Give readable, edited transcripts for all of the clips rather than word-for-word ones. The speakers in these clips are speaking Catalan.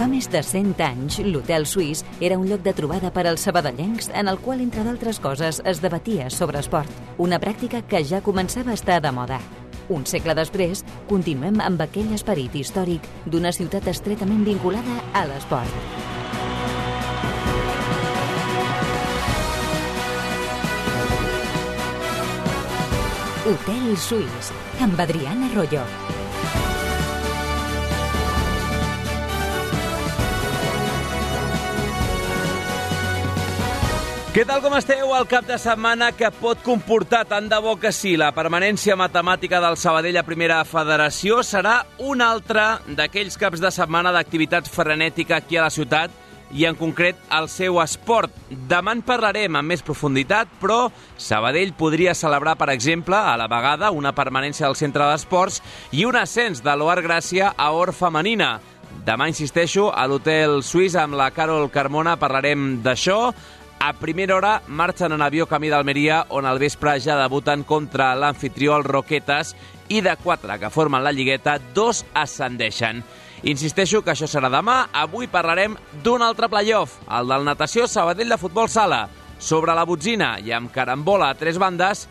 Fa més de 100 anys, l'Hotel Suís era un lloc de trobada per als sabadellencs en el qual, entre d'altres coses, es debatia sobre esport, una pràctica que ja començava a estar de moda. Un segle després, continuem amb aquell esperit històric d'una ciutat estretament vinculada a l'esport. Hotel Suís, amb Adriana Royo. Què tal, com esteu? El cap de setmana que pot comportar, tant de bo que sí, la permanència matemàtica del Sabadell a Primera Federació serà un altre d'aquells caps de setmana d'activitat frenètica aquí a la ciutat i, en concret, el seu esport. Demà en parlarem amb més profunditat, però Sabadell podria celebrar, per exemple, a la vegada una permanència del centre d'esports i un ascens de l'Oar Gràcia a Or Femenina. Demà, insisteixo, a l'Hotel Suís amb la Carol Carmona parlarem d'això. A primera hora marxen en avió camí d'Almeria, on al vespre ja debuten contra l'anfitrió, el Roquetes, i de 4 que formen la lligueta, 2 ascendeixen. Insisteixo que això serà demà. Avui parlarem d'un altre playoff, el del natació Sabadell de futbol sala, sobre la botzina i amb carambola a 3 bandes.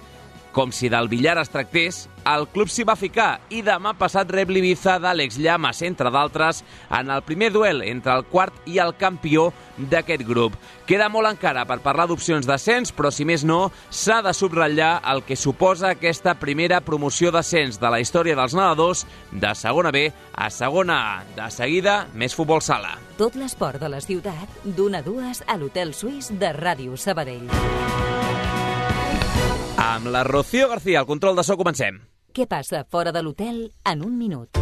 Com si del billar es tractés, el club s'hi va ficar i demà passat rep l'Ibiza d'Àlex Llamas, entre d'altres, en el primer duel entre el quart i el campió d'aquest grup. Queda molt encara per parlar d'opcions d'ascens, però si més no, s'ha de subratllar el que suposa aquesta primera promoció d'ascens de la història dels nedadors de segona B a segona A. De seguida, més futbol sala. Tot l'esport de la ciutat, d'1 a 2 a l'Hotel Suís de Ràdio Sabadell. Amb la Rocío García, al control de so, comencem. Què passa fora de l'hotel en un minut?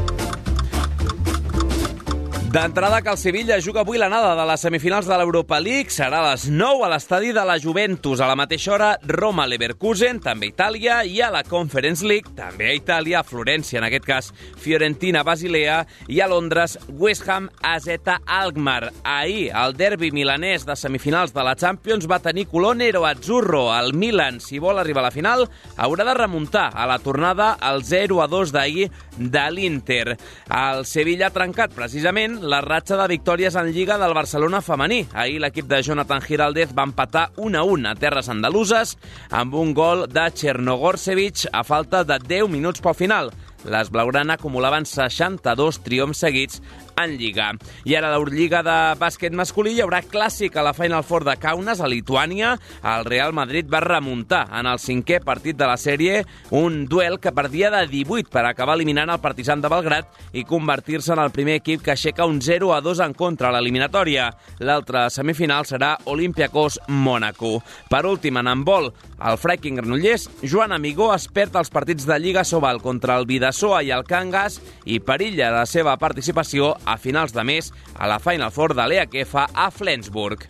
D'entrada, que el Sevilla juga avui l'anada de les semifinals de l'Europa League. Serà a les 9 a l'estadi de la Juventus. A la mateixa hora, Roma-Leverkusen, també a Itàlia, i a la Conference League, també a Itàlia, a Florència, en aquest cas, Fiorentina-Basilea, i a Londres, West Ham-AZ Alkmaar. Ahir, el derbi milanès de semifinals de la Champions va tenir color nero-azzurro. El Milan, si vol arribar a la final, haurà de remuntar a la tornada el 0-2 d'ahir de l'Inter. El Sevilla ha trencat, precisament, la ratxa de victòries en Lliga del Barcelona femení. Ahir l'equip de Jonathan Giraldez va empatar 1-1 a terres andaluses amb un gol de Chernogorsevic a falta de 10 minuts pel final. Les blaugrana acumulaven 62 triomfs seguits en Lliga. I ara a l'Eurolliga de bàsquet masculí hi haurà clàssic a la Final Four de Kaunas, a Lituània. El Real Madrid va remuntar en el 5è partit de la sèrie, un duel que perdia de 18 per acabar eliminant el Partizan de Belgrad i convertir-se en el primer equip que aixeca un 0-2 en contra a l'eliminatòria. L'altra semifinal serà Olympiacos-Mònaco. Per últim, en handbol, el Freiking Granollers, Joan Amigó es perd els partits de Lliga Sobal contra el Bidasoa i el Cangas i perilla la seva participació a finals de mes a la Final Four de l'EHF a Flensburg.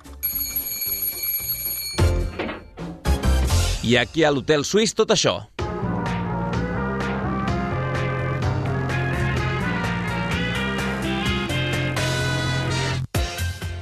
I aquí a l'Hotel Suís tot això.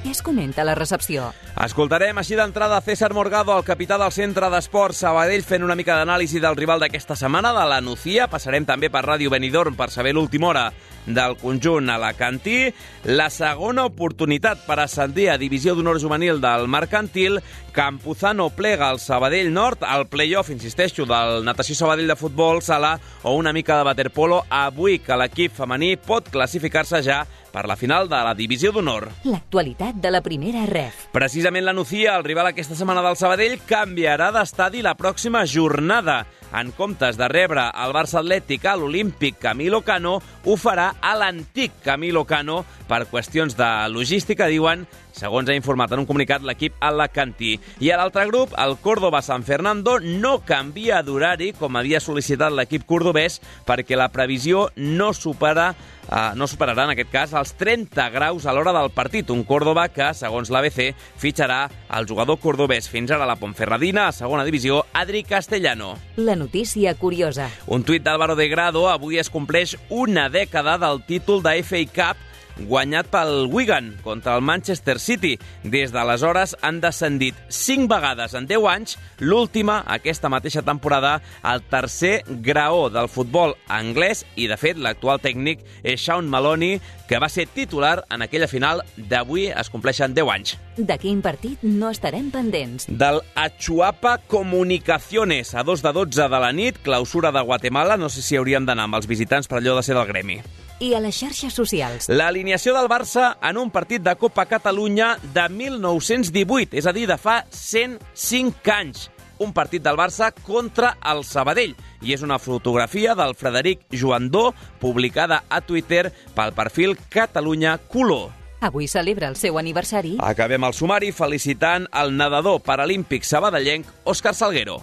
Què es comenta a la recepció? Escoltarem així d'entrada César Morgado, el capità del Centre d'Esports Sabadell, fent una mica d'anàlisi del rival d'aquesta setmana, de la Nucía. Passarem també per Ràdio Benidorm per saber l'última hora del conjunt alacantí. La segona oportunitat per ascendir a Divisió d'Honor Juvenil del Mercantil. Campuzano plega al Sabadell Nord, al play-off, insisteixo, del Natació Sabadell de futbol sala o una mica de waterpolo. Avui que l'equip femení pot classificar-se ja per la final de la Divisió d'Honor. L'actualitat de la primera ref. Precisament la Nucía, el rival aquesta setmana del Sabadell, canviarà d'estadi la pròxima jornada. En comptes de rebre el Barça Atlètic a l'Olímpic Camilo Cano, ho farà a l'antic Camilo Cano per qüestions de logística, diuen, segons ha informat en un comunicat l'equip alacantí. I a l'altre grup, el Córdoba San Fernando no canvia d'horari, com havia sol·licitat l'equip cordobès, perquè la previsió no superarà en aquest cas els 30 graus a l'hora del partit. Un Córdoba que, segons l'ABC, fitxarà el jugador cordobès fins ara a la Ponferradina, a segona divisió, Adri Castellano. La notícia curiosa. Un tuit d'Álvaro de Grado: avui es compleix una dècada del títol de FA Cup guanyat pel Wigan contra el Manchester City. Des d'aleshores han descendit 5 vegades en 10 anys, l'última, aquesta mateixa temporada, al tercer graó del futbol anglès i, de fet, l'actual tècnic és Sean Maloney, que va ser titular en aquella final d'avui es compleixen 10 anys. De quin partit no estarem pendents? Del Achuapa Comunicaciones, a 2 de 12 de la nit, clausura de Guatemala, no sé si hauríem d'anar amb els visitants per allò de ser del gremi. I a les xarxes socials? L'alineació del Barça en un partit de Copa Catalunya de 1918, és a dir, de fa 105 anys. Un partit del Barça contra el Sabadell. I és una fotografia del Frederic Joandó, publicada a Twitter pel perfil Catalunya Color. Avui celebra el seu aniversari. Acabem el sumari felicitant el nedador paralímpic sabadellenc Òscar Salguero.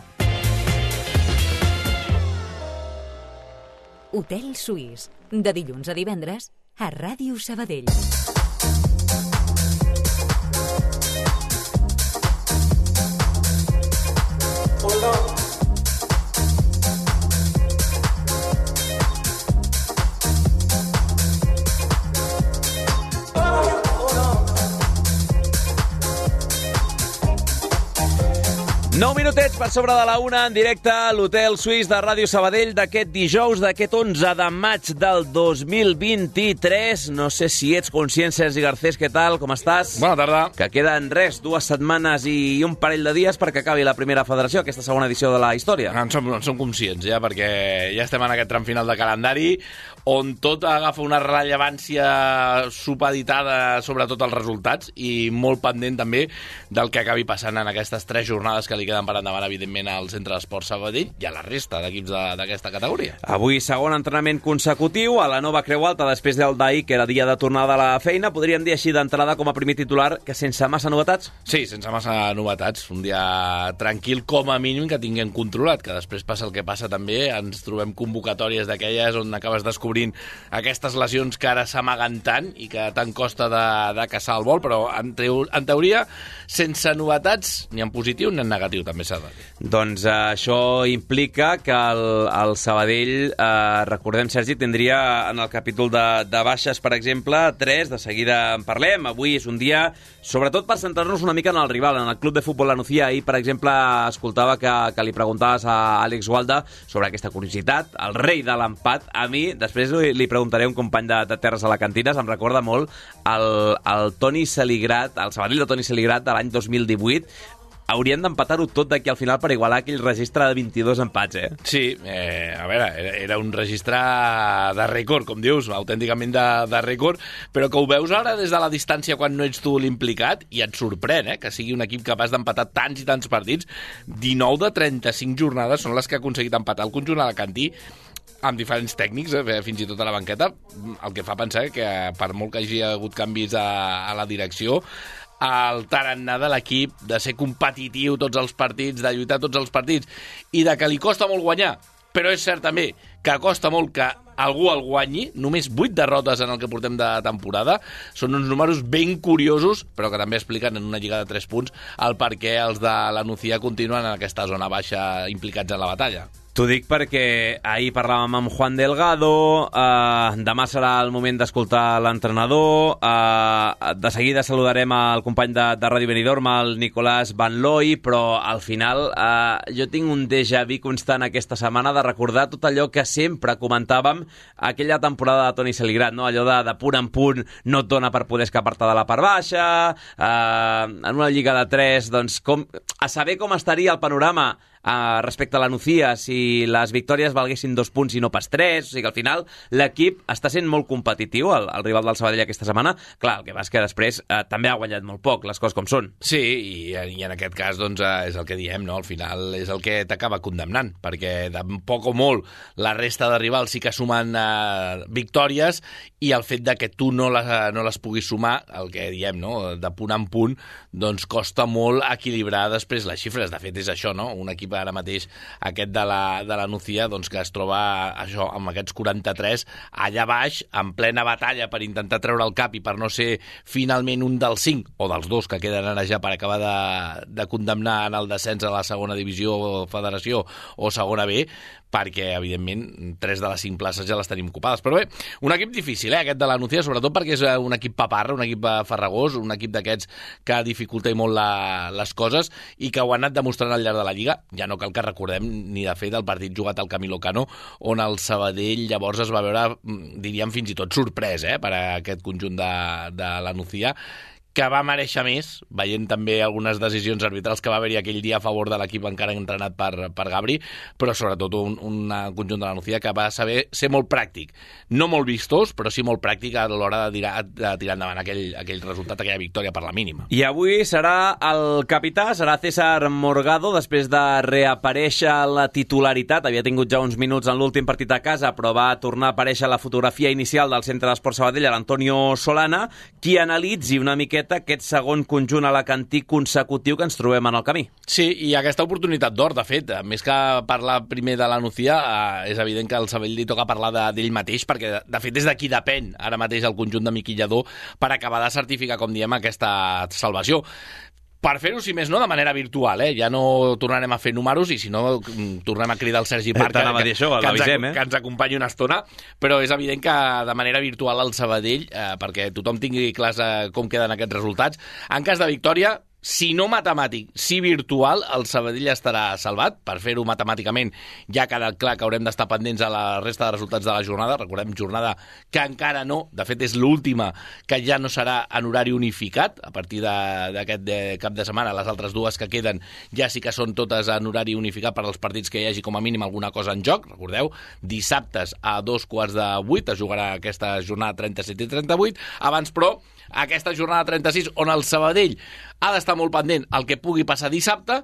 Hotel Suís, de dilluns a divendres, a Ràdio Sabadell. Nou minutets per sobre de la 1 en directe a l'Hotel Suís de Ràdio Sabadell d'aquest dijous, d'aquest 11 de maig del 2023. No sé si ets conscient, Sergi Garcés, què tal? Com estàs? Bona tarda. Que queden 2 setmanes i un parell de dies perquè acabi la primera federació, aquesta segona edició de la història. En som conscients, ja, perquè ja estem en aquest tram final de calendari on tot agafa una rellevància supeditada sobretot als resultats i molt pendent també del que acabi passant en aquestes 3 jornades que li queden per endavant, evidentment, al Centre d'Esports Sabadell i a la resta d'equips d'aquesta categoria. Avui, segon entrenament consecutiu a la nova Creu Alta després del d'ahir, que era dia de tornada a la feina. Podríem dir així d'entrada com a primer titular que sense massa novetats? Sí, sense massa novetats. Un dia tranquil, com a mínim, que tinguem controlat, que després passa el que passa també. Ens trobem convocatòries d'aquelles on acabes descobrint aquestes lesions que ara s'amaguen tant i que tant costa de caçar el vol, però en teoria, sense novetats, ni en positiu ni en negatiu, també s'ha de dir. Doncs això implica que el Sabadell, recordem, Sergi, tindria en el capítol de baixes, per exemple, 3, de seguida en parlem. Avui és un dia, sobretot per centrar-nos una mica en el rival, en el Club de Futbol La Nucía. Ahir, per exemple, escoltava que li preguntaves a Àlex Gualda sobre aquesta curiositat, el rei de l'empat. A mi, després li preguntaré a un company de Terres Alacantines, em recorda molt el Toni Saligrat, el Sabadell de Toni Saligrat de l'any 2018. Haurien d'empatar-ho tot d'aquí al final per igualar aquell registre de 22 empats, eh? Sí, a veure, era un registre de rècord, com dius, autènticament de rècord, però que ho veus ara des de la distància quan no ets tu l'implicat i et sorprèn, que sigui un equip capaç d'empatar tants i tants partits. 19 de 35 jornades són les que ha aconseguit empatar el conjunt alacantí amb diferents tècnics, fins i tot a la banqueta, el que fa pensar que per molt que hagi hagut canvis a la direcció, el tarannà de l'equip de ser competitiu tots els partits, de lluitar tots els partits i de que li costa molt guanyar, però és cert també que costa molt que algú el guanyi, només 8 derrotes en el que portem de temporada, són uns números ben curiosos, però que també expliquen en una lliga de 3 punts el per què els de la Nucía continuen en aquesta zona baixa implicats en la batalla. T'ho dic perquè ahir parlàvem amb Juan Delgado, demà serà el moment d'escoltar l'entrenador, de seguida saludarem el company de Ràdio Benidorm, el Nicolás Van Looy, però al final jo tinc un déjà vu constant aquesta setmana de recordar tot allò que sempre comentàvem aquella temporada de Toni Saligrat, no? Allò de punt en punt no et dona per poder escapar-te de la part baixa, en una lliga de 3, doncs a saber com estaria el panorama respecte a la Nucía si les victòries valguessin 2 punts i no pas 3, o sigui que al final l'equip està sent molt competitiu, el rival del Sabadell aquesta setmana. Clar, el que va és que després també ha guanyat molt poc, les coses com són. Sí, i en aquest cas doncs, és el que diem, no? Al final és el que t'acaba condemnant, perquè de poc o molt la resta de rivals sí que sumen victòries i el fet de que tu no les puguis sumar, el que diem, no? De punt en punt, doncs costa molt equilibrar després les xifres. De fet és això, no? Un equip ara mateix, aquest de la Nucía, doncs, que es troba això, amb aquests 43 allà baix, en plena batalla per intentar treure el cap i per no ser finalment un dels 5 o dels 2 que queden ara ja per acabar de condemnar en el descens a la segona divisió o federació o segona B, perquè, evidentment, 3 de les 5 places ja les tenim ocupades. Però bé, un equip difícil, aquest de la Nucía, sobretot perquè és un equip paparra, un equip farragós, un equip d'aquests que dificulta molt les coses i que ho ha anat demostrant al llarg de la Lliga. Ja no cal que recordem ni de fet el partit jugat al Camilo Cano, on el Sabadell llavors es va veure, diríem, fins i tot sorprès per a aquest conjunt de la Nucía, que va mereixer més, veient també algunes decisions arbitrals que va haver-hi aquell dia a favor de l'equip encara entrenat per Gabri, però sobretot un conjunt de la Nucía que va saber ser molt pràctic. No molt vistós, però sí molt pràctic a l'hora de tirar endavant aquell resultat, aquella victòria per la mínima. I avui serà el capità, serà César Morgado, després de reaparèixer a la titularitat. Havia tingut ja uns minuts en l'últim partit a casa, però va tornar a aparèixer la fotografia inicial del Centre d'Esports Sabadell, l'Antonio Solana, qui analitzi una miqueta aquest segon conjunt alacantí consecutiu que ens trobem en el camí. Sí, i aquesta oportunitat d'or, de fet, més que parlar primer de la Nucía, és evident que al Sabadell li toca parlar d'ell mateix, perquè de fet és d'aquí depèn ara mateix el conjunt de Miqui Lladó per acabar de certificar, com diem, aquesta salvació. Per fer-ho, si més no, de manera virtual, ja no tornarem a fer números i si no tornem a cridar el Sergi Parc que ens acompanyi una estona, però és evident que de manera virtual al Sabadell, perquè tothom tingui clars com queden aquests resultats, en cas de victòria, si no matemàtic, si virtual, el Sabadell estarà salvat. Per fer-ho matemàticament ja ha quedat clar que haurem d'estar pendents a la resta de resultats de la jornada. Recordem, jornada que encara no, de fet és l'última, que ja no serà en horari unificat. A partir d'aquest cap de setmana, les altres dues que queden ja sí que són totes en horari unificat per als partits que hi hagi com a mínim alguna cosa en joc. Recordeu, dissabtes a 7:45 es jugarà aquesta jornada 37 i 38. Abans, però, aquesta jornada 36, on el Sabadell ha d'estar molt pendent el que pugui passar dissabte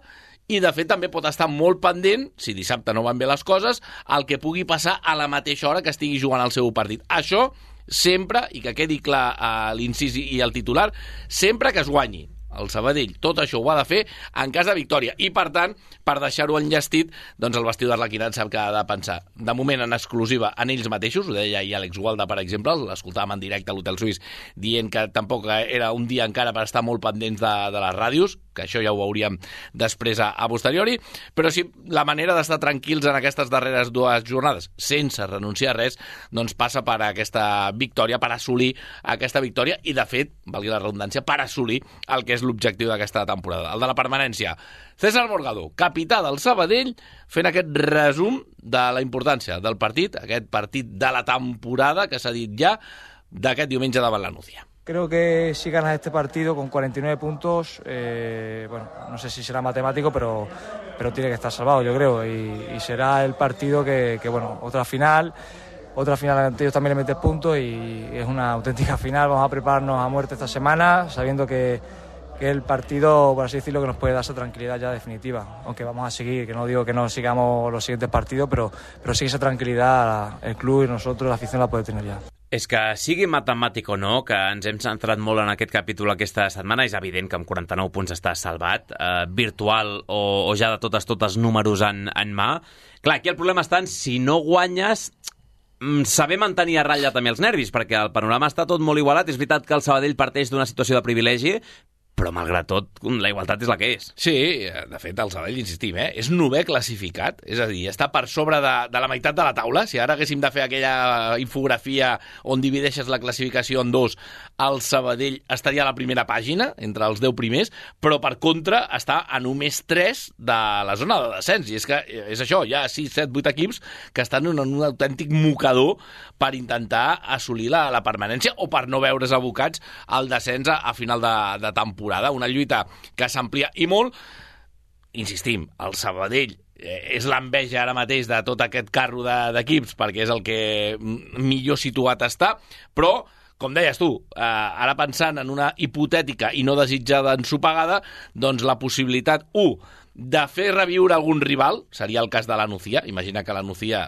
i, de fet, també pot estar molt pendent, si dissabte no van bé les coses, el que pugui passar a la mateixa hora que estigui jugant el seu partit. Això sempre, i que quedi clar l'incís i el titular, sempre que es guanyi el Sabadell. Tot això ho ha de fer en cas de victòria. I, per tant, per deixar-ho enllestit, doncs el vestidor d'Arlequinat sap que ha de pensar, de moment, en exclusiva en ells mateixos. Ho deia ahir Àlex Gualda, per exemple, l'escoltàvem en directe a l'Hotel Suís, dient que tampoc era un dia encara per estar molt pendents de les ràdios, que això ja ho veuríem després a posteriori, però sí, la manera d'estar tranquils en aquestes darreres 2 jornades, sense renunciar a res, doncs passa per aquesta victòria, per assolir aquesta victòria i, de fet, valgui la redundància, per assolir el que és l'objectiu d'aquesta temporada, el de la permanència. César Morgado, capità del Sabadell, fent aquest resum de la importància del partit, aquest partit de la temporada que s'ha dit ja, d'aquest diumenge davant la Nucía. Creo que si ganas este partido con 49 puntos, bueno, no sé si será matemático, pero tiene que estar salvado, yo creo, y será el partido que bueno, otra final ante ellos también le metes puntos y es una auténtica final. Vamos a prepararnos a muerte esta semana, sabiendo que el partido, por así decirlo, que nos puede dar esa tranquilidad ya definitiva, aunque vamos a seguir, que no digo que no sigamos los siguientes partidos, pero sí esa tranquilidad el club y nosotros, la afición, la puede tener ya. És que sigui matemàtic o no, que ens hem centrat molt en aquest capítol aquesta setmana, és evident que amb 49 punts està salvat, virtual o ja de totes números en mà. Clar, aquí el problema està en si no guanyes, saber mantenir a ratlla també els nervis, perquè el panorama està tot molt igualat. És veritat que el Sabadell parteix d'una situació de privilegi, però malgrat tot, la igualtat és la que és. Sí, de fet, el Sabadell, insistim, és 9è classificat, és a dir, està per sobre de la meitat de la taula. Si ara haguéssim de fer aquella infografia on divideixes la classificació en 2, el Sabadell estaria a la primera pàgina, entre els 10 primers, però per contra està a només 3 de la zona de descens. I és que és això, hi ha 6, 7, 8 equips que estan en un autèntic mocador per intentar assolir la permanència o per no veure's abocats al descens a final de temporada. Una lluita que s'amplia i molt. Insistim, el Sabadell és l'enveja ara mateix de tot aquest carro d'equips perquè és el que millor situat està, però, com deies tu, ara pensant en una hipotètica i no desitjada ensopegada, doncs la possibilitat, de fer reviure algun rival, seria el cas de la Nucía. Imagina que la Nucía,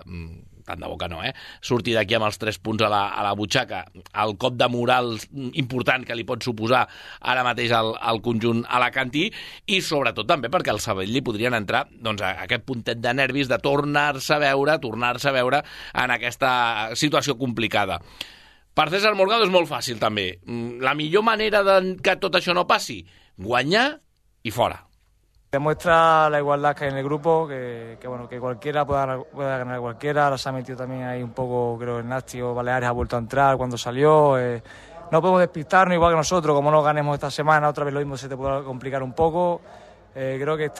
tant de bo que no, surti d'aquí amb els 3 punts a la butxaca, el cop de moral important que li pot suposar ara mateix al conjunt alacantí, i sobretot també perquè al Sabadell li podrien entrar doncs, aquest puntet de nervis de tornar-se a veure en aquesta situació complicada. Per César Morgado és molt fàcil també. La millor manera que tot això no passi, guanyar i fora. Demuestra la igualdad que hay en el grupo, que cualquiera pueda ganar a cualquiera. Ahora se ha metido también ahí un poco, creo, el Nasti o Baleares ha vuelto a entrar cuando salió. No podemos despistarnos, igual que nosotros, como no ganemos esta semana, otra vez lo mismo se te puede complicar un poco. Creo que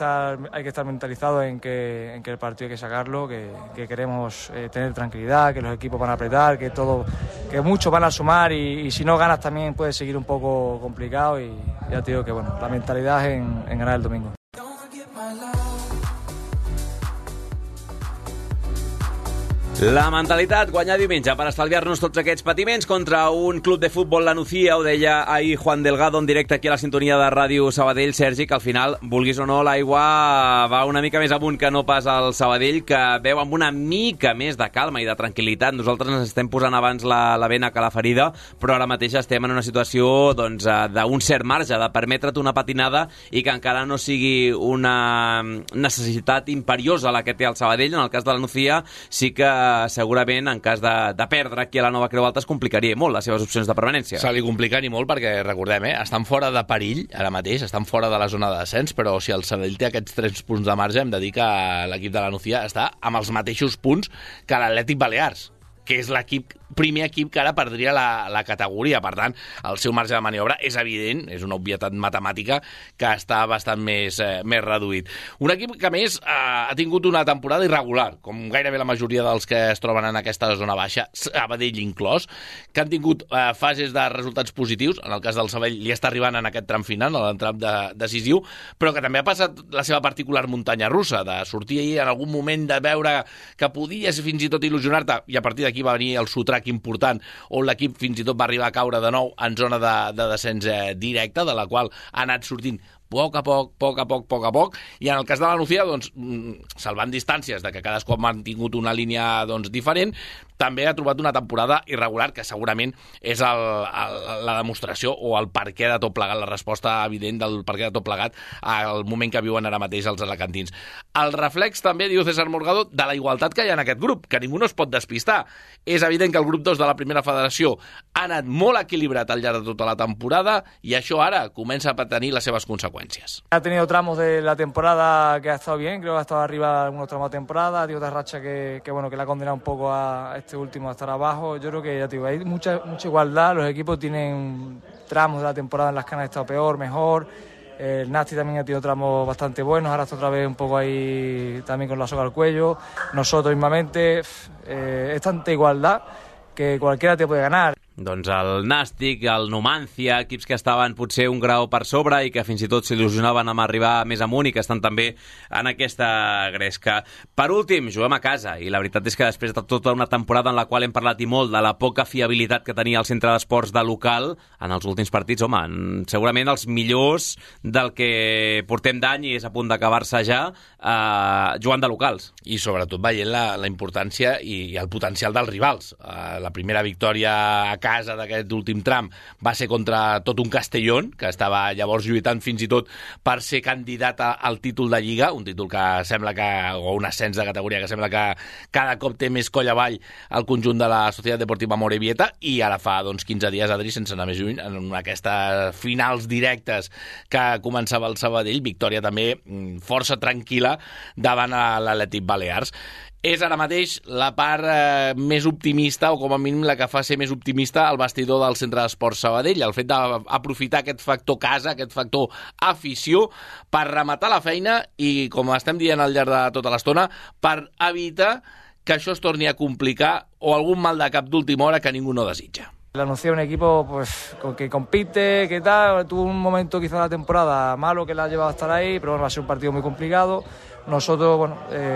hay que estar mentalizados en que el partido hay que sacarlo, que queremos tener tranquilidad, que los equipos van a apretar, que muchos van a sumar y si no ganas también puede seguir un poco complicado y ya te digo que la mentalidad es en ganar el domingo. La mentalitat, guanyar diumenge per estalviar-nos tots aquests patiments contra un club de futbol, la Nucía, ho deia ahir Juan Delgado en directe aquí a la sintonia de Ràdio Sabadell. Sergi, que al final, vulguis o no, l'aigua va una mica més amunt que no pas al Sabadell, que veu amb una mica més de calma i de tranquil·litat. Nosaltres ens estem posant abans la vena que la ferida, però ara mateix estem en una situació d'un cert marge, de permetre't una patinada i que encara no sigui una necessitat imperiosa la que té el Sabadell. En el cas de la Nucía, sí que segurament en cas de perdre aquí a la Nova Creu Alta es complicaria molt les seves opcions de permanència. Se li compliquen i molt perquè, recordem, estan fora de perill ara mateix, estan fora de la zona de descens, però si el Sabadell té aquests 3 punts de marge, hem de dir que l'equip de la Nucía està amb els mateixos punts que l'Atlètic Balears, que és primer equip que ara perdria la categoria. Per tant, el seu marge de maniobra és evident, és una obvietat matemàtica que està bastant més reduït. Un equip que, a més, ha tingut una temporada irregular, com gairebé la majoria dels que es troben en aquesta zona baixa, Sabadell inclòs, que han tingut fases de resultats positius. En el cas del Sabadell li està arribant en aquest tram final, en l'entram decisiu, però que també ha passat la seva particular muntanya russa, de sortir ahir en algun moment de veure que podies fins i tot il·lusionar-te, i a partir d'aquí va venir el sotrac important, on l'equip fins i tot va arribar a caure de nou en zona de descens directe, de la qual ha anat sortint poc a poc, i en el cas de la Nucía, salvant distàncies de que cadascú ha mantingut una línia diferent, també ha trobat una temporada irregular, que segurament és la demostració o el perquè de tot plegat, la resposta evident del perquè de tot plegat al moment que viuen ara mateix els alacantins. El reflex també, diu César Morgado, de la igualtat que hi ha en aquest grup, que ningú no es pot despistar. És evident que el grup 2 de la primera federació ha anat molt equilibrat al llarg de tota la temporada y això ara comença a tenir les seves conseqüències. Ha tenido tramos de la temporada que ha estado bien, creo que ha estado arriba algunos tramos de temporada, ha tenido otra racha que le ha condenado un poco a este último a estar abajo. Yo creo que ya te digo, hay mucha igualdad, los equipos tienen tramos de la temporada en las que han estado peor, mejor. El Nasti también ha tenido tramos bastante buenos, ahora está otra vez un poco ahí también con la soga al cuello. Nosotros mismamente, es tanta igualdad que cualquiera te puede ganar. Doncs el Nàstic, el Numancia, equips que estaven potser un grau per sobre i que fins i tot s'il·lusionaven amb arribar més amunt i que estan també en aquesta gresca. Per últim, juguem a casa i la veritat és que després de tota una temporada en la qual hem parlat i molt de la poca fiabilitat que tenia el centre d'esports de local, en els últims partits, home, segurament els millors del que portem d'any i és a punt d'acabar-se ja jugant de locals. I sobretot veient la importància i el potencial dels rivals. La primera victòria a casa d'aquest últim tram va ser contra tot un Castellón, que estava llavors lluitant fins i tot per ser candidat al títol de Lliga, un títol que sembla o un ascens de categoria que sembla que cada cop té més coll avall al conjunt de la Societat Deportiva Amorebieta, i ara fa 15 dies, Adri, sense anar més lluny, en aquestes finals directes que començava el Sabadell, victòria també força tranquil·la davant l'Atlètic Balears. És ara mateix la part més optimista, o com a mínim la que fa ser més optimista al vestidor del Centre d'Esports Sabadell, el fet d'aprofitar aquest factor casa, aquest factor afició, per rematar la feina i, com estem dient al llarg de tota l'estona, per evitar que això es torni a complicar o algun mal de cap d'última hora que ningú no desitja. La Nucía es un equipo que compite, que tal, tuvo un momento quizá de la temporada malo que la ha llevado a estar ahí, pero bueno, va a ser un partido muy complicado. Nosotros,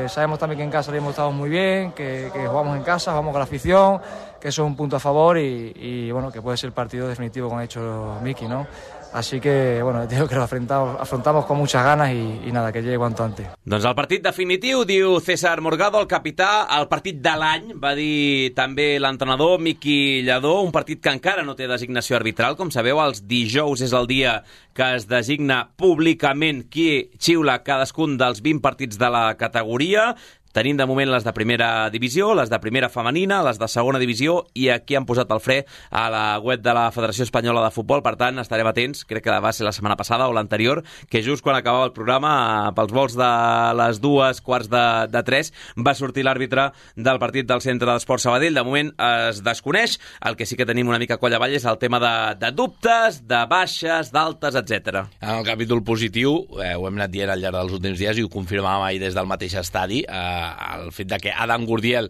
sabemos también que en casa hemos estado muy bien, que jugamos en casa, jugamos con la afición, que eso es un punto a favor y bueno, que puede ser el partido definitivo, como ha dicho Miki, ¿no? Así que, bueno, digo que lo afrontamos con muchas ganas y nada, que llegue cuanto antes. Doncs el partit definitiu, diu César Morgado, el capità, el partit de l'any, va dir també l'entrenador Miki Lladó, un partit que encara no té designació arbitral. Com sabeu, els dijous és el dia que es designa públicament qui xiula cadascun dels 20 partits de la categoria. Tenim de moment les de primera divisió, les de primera femenina, les de segona divisió, i aquí han posat el fre a la web de la Federació Espanyola de Futbol. Per tant, estarem atents, crec que va ser la setmana passada o l'anterior, que just quan acabava el programa, pels vols de les 2:15 va sortir l'àrbitre del partit del Centre d'Esport Sabadell. De moment es desconeix. El que sí que tenim una mica coll avall és el tema de dubtes, de baixes, d'altes, etc. En el capítol positiu, ho hem anat dient al llarg dels últims dies i ho confirmàvem ahir des del mateix estadi, el fet de que Adam Gurdiel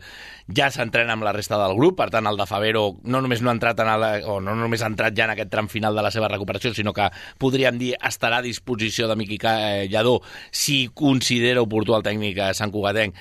ja s'entrena amb la resta del grup, per tant el de Favero no només no ha entrat no només ha entrat ja en aquest tram final de la seva recuperació, sinó que podríem dir estarà a disposició de Miqui Lladó si considera oportú el tècnic santcugatenc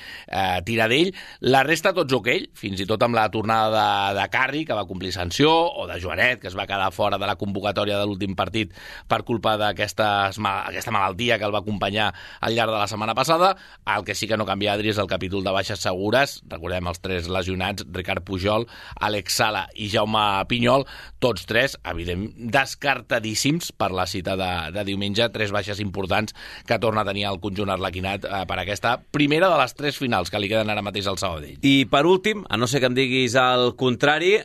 tirar d'ell. La resta tots ok, fins i tot amb la tornada de Carri, que va complir sanció, o de Joanet, que es va quedar fora de la convocatòria de l'últim partit per culpa d'aquesta malaltia que el va acompanyar al llarg de la setmana passada. El que sí que no canvia, Adri, és el capítol de baixes segures. Recordem els 3 lesionats, Ricard Pujol, Àlex Sala i Jaume Pinyol, tots 3, evident, descartadíssims per la cita de diumenge. 3 baixes importants que torna a tenir el conjunt arlequinat per aquesta primera de les 3 finals que li queden ara mateix al Sabadell. I per últim, a no ser que em diguis el contrari,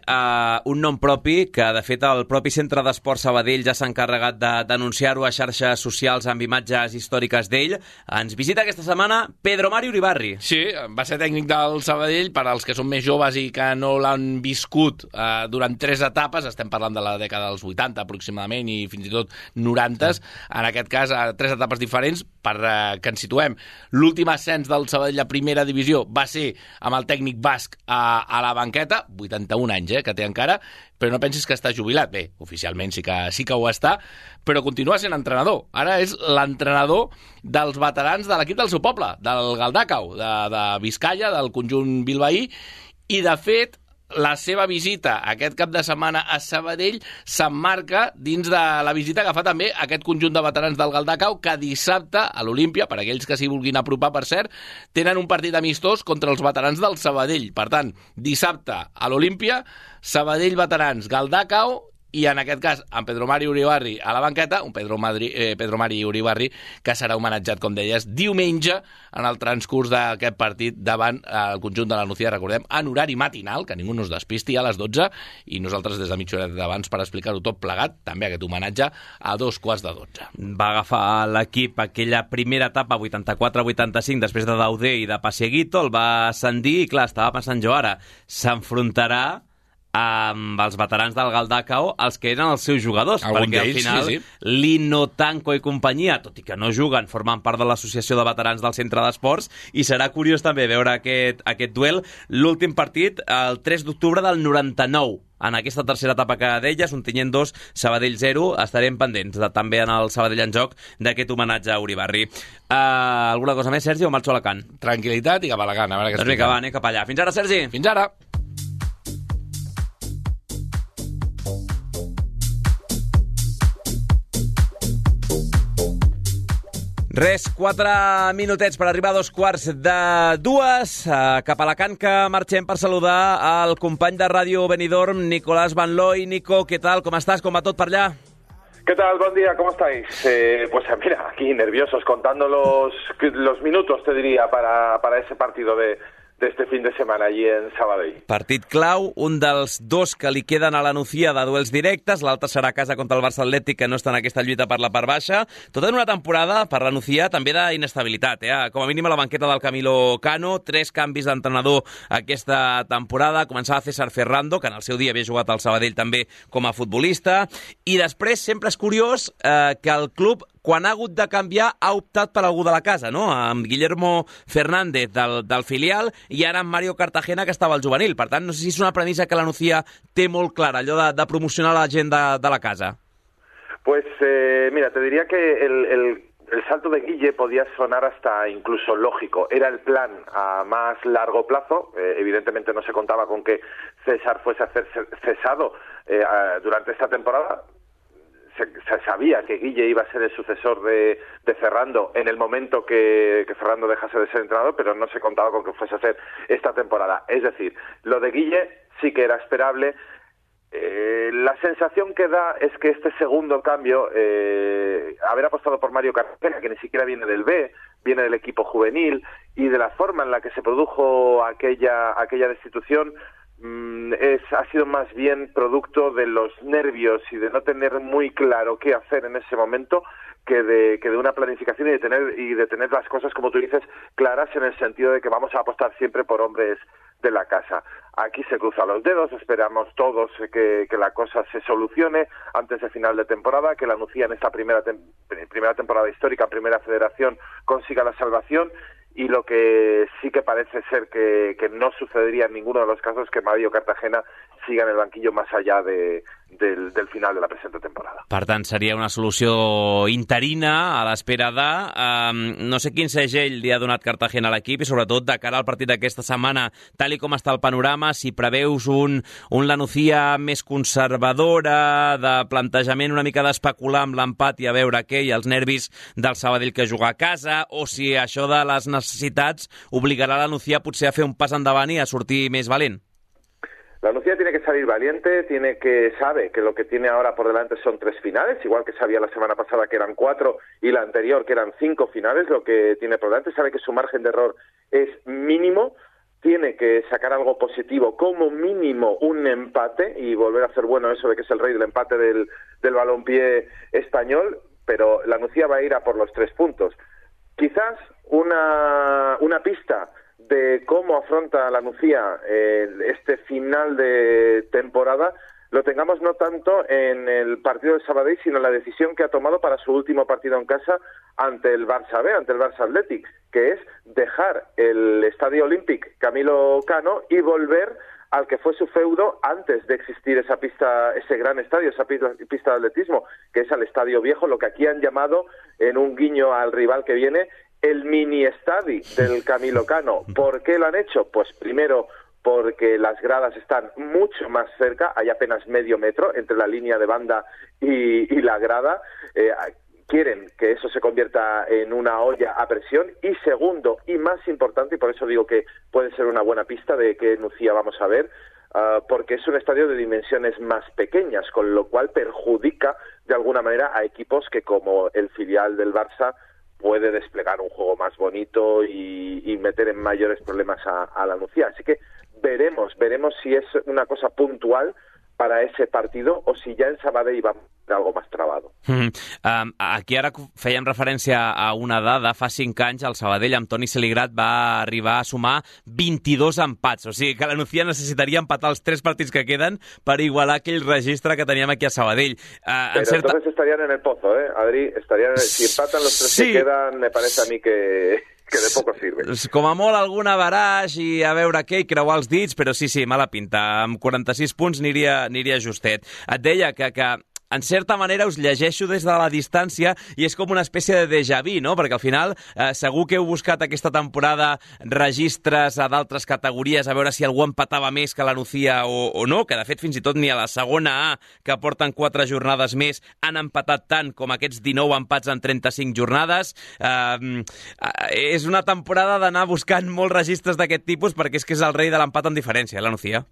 un nom propi que de fet el propi Centre d'Esport Sabadell ja s'ha encarregat de denunciar-ho a xarxes socials amb imatges històriques d'ell. Ens visita aquesta setmana Pedro Mari Uribarri. Sí, va ser tècnic del Sabadell. Per als que són més joves i que no l'han viscut durant 3 etapes, estem parlant de la dècada dels 80 aproximadament i fins i tot 90s, en aquest cas 3 etapes diferents. Per que ens situem, l'últim ascens del Sabadell a primera divisió va ser amb el tècnic basc a la banqueta, 81 anys que té encara, però no pensis que està jubilat. Bé, oficialment sí que ho està, però continua sent entrenador. Ara és l'entrenador dels veterans de l'equip del seu poble, del Galdacao, de Vizcaya, del conjunt bilbaí, i de fet la seva visita aquest cap de setmana a Sabadell s'emmarca dins de la visita que fa també aquest conjunt de veterans del Galdacao, que dissabte a l'Olímpia, per aquells que s'hi vulguin apropar, per cert, tenen un partit amistós contra els veterans del Sabadell. Per tant, dissabte a l'Olímpia, Sabadell veterans, Galdacao, i en aquest cas amb Pedro Mari Uribarri a la banqueta, un Pedro Mari Uribarri que serà homenatjat, com deies, diumenge en el transcurs d'aquest partit davant el conjunt de la Nucía, recordem, en horari matinal, que ningú no es despisti, a les 12, i nosaltres des de mitja hora d'abans per explicar-ho tot plegat, també aquest homenatge a 2:15. Va agafar l'equip aquella primera etapa 84-85 després de Dauder i de Pasieguito, el va ascendir i clar, estava pensant jo ara, s'enfrontarà amb els veterans del Galdacao, els que eren els seus jugadors, perquè al final sí. Lino, Tanco i companyia, tot i que no juguen, formen part de l'associació de veterans del Centre d'Esports, i serà curiós també veure aquest duel. L'últim partit, el 3 d'octubre del 99, en aquesta tercera etapa que deies, Ontinyent 2, Sabadell 0, estarem pendents també en el Sabadell en joc d'aquest homenatge a Uribarri. Alguna cosa més, Sergi, o marxo a Alacant? Tranquil·litat i cap a Alacant, a veure què doncs vinga, va, anem cap allà. Fins ara, Sergi. Fins ara. Res, 4 minutets per arribar a 2:15. Cap a Alacant, que marxem per saludar al company de Ràdio Benidorm, Nicolás Van Looy. Nico, ¿qué tal? ¿Cómo estás? ¿Cómo va tot per allà? ¿Qué tal? Buen día, ¿cómo estáis? Pues mira, aquí nerviosos, contando los minutos, te diría, para ese partido de este fin de setmana allí en Sabadell. Partit clau, un dels 2 que li queden a la Nucía de duels directes, l'altre serà a casa contra el Barça Atlètic, que no està en aquesta lluita per la part baixa. Tot en una temporada per la Nucía també d'inestabilitat, com a mínim a la banqueta del Camilo Cano, 3 canvis d'entrenador aquesta temporada. Començava César Ferrando, que en el seu dia havia jugat al Sabadell també com a futbolista, i després sempre és curiós que el club, quan ha hagut de canviar, ha optat per algú de la casa, no? Amb Guillermo Fernández del filial i ara amb Mario Cartagena, que estava al juvenil. Per tant, no sé si és una premissa que la Nucía té molt clara, allò de promocionar la gent de la casa. Pues mira, te diría que el salto de Guille podía sonar hasta incluso lógico. Era el plan a más largo plazo. Evidentemente no se contaba con que César fuese a ser cesado durante esta temporada. Se sabía que Guille iba a ser el sucesor de Ferrando en el momento que Ferrando dejase de ser entrenador, pero no se contaba con que fuese a ser esta temporada. Es decir, lo de Guille sí que era esperable. La sensación que da es que este segundo cambio, haber apostado por Mario Cartagena, que ni siquiera viene del B, viene del equipo juvenil, y de la forma en la que se produjo aquella destitución ha sido más bien producto de los nervios y de no tener muy claro qué hacer en ese momento que de una planificación y de tener las cosas, como tú dices, claras, en el sentido de que vamos a apostar siempre por hombres de la casa. Aquí se cruzan los dedos, esperamos todos que la cosa se solucione antes de final de temporada, que la Nucía en esta primera temporada histórica, primera federación, consiga la salvación. Y lo que sí que parece ser que no sucedería en ninguno de los casos es que Mario Cartagena siga en el banquillo más allá del final de la presente temporada. Per tant, seria una solució interina a l'espera de... no sé quin segell li ha donat Cartagena a l'equip i sobretot de cara al partit d'aquesta setmana, tal i com està el panorama, si preveus un La Nucía més conservadora, de plantejament una mica d'especular amb l'empat i a veure què, i els nervis del Sabadell que juga a casa, o si això de les necessitats obligarà la Nucía potser a fer un pas endavant i a sortir més valent. La Nucía tiene que salir valiente, sabe que lo que tiene ahora por delante son 3 finales, igual que sabía la semana pasada que eran 4 y la anterior que eran 5 finales, lo que tiene por delante, sabe que su margen de error es mínimo, tiene que sacar algo positivo, como mínimo un empate, y volver a hacer bueno eso de que es el rey del empate del balompié español, pero la Nucía va a ir a por los 3 puntos. Quizás una pista de cómo afronta la Nucía este final de temporada lo tengamos no tanto en el partido de Sabadell, sino en la decisión que ha tomado para su último partido en casa ante el Barça B, ante el Barça Athletic, que es dejar el Estadio Olímpic Camilo Cano y volver al que fue su feudo antes de existir esa pista, ese gran estadio, esa pista de atletismo, que es al Estadio Viejo, lo que aquí han llamado, en un guiño al rival que viene, el mini estadi del Camilo Cano. ¿Por qué lo han hecho? Pues primero porque las gradas están mucho más cerca, hay apenas medio metro entre la línea de banda y la grada. Quieren que eso se convierta en una olla a presión. Y segundo, y más importante, y por eso digo que puede ser una buena pista de qué Nucía vamos a ver, porque es un estadio de dimensiones más pequeñas, con lo cual perjudica de alguna manera a equipos que, como el filial del Barça, puede desplegar un juego más bonito y meter en mayores problemas a la Nucía. Así que veremos si es una cosa puntual para ese partido o si ya en Sabadell va a ser algo más trabado. Aquí ara fèiem referència a una dada. Fa 5 anys el Sabadell amb Toni Seligrat va arribar a sumar 22 empats. O sigui que la Nucía necessitaria empatar els 3 partits que queden per igualar aquell registre que teníem aquí a Sabadell. Entonces estarían en el pozo, Adri? Si empatan los 3 que quedan, me parece a mí que de poco sirve. Com a molt algun averaix i a veure què, i creuar els dits, però sí, mala pinta. Amb 46 punts aniria justet. Et deia que en certa manera us llegeixo des de la distància i és com una espècie de déjà vu, no? Perquè al final segur que heu buscat aquesta temporada registres a d'altres categories a veure si algú empatava més que la Nucía o no, que de fet fins i tot ni a la segona A, que porten 4 jornades més, han empatat tant com aquests 19 empats en 35 jornades. És una temporada d'anar buscant molts registres d'aquest tipus perquè és que és el rei de l'empat en diferència, la Nucía.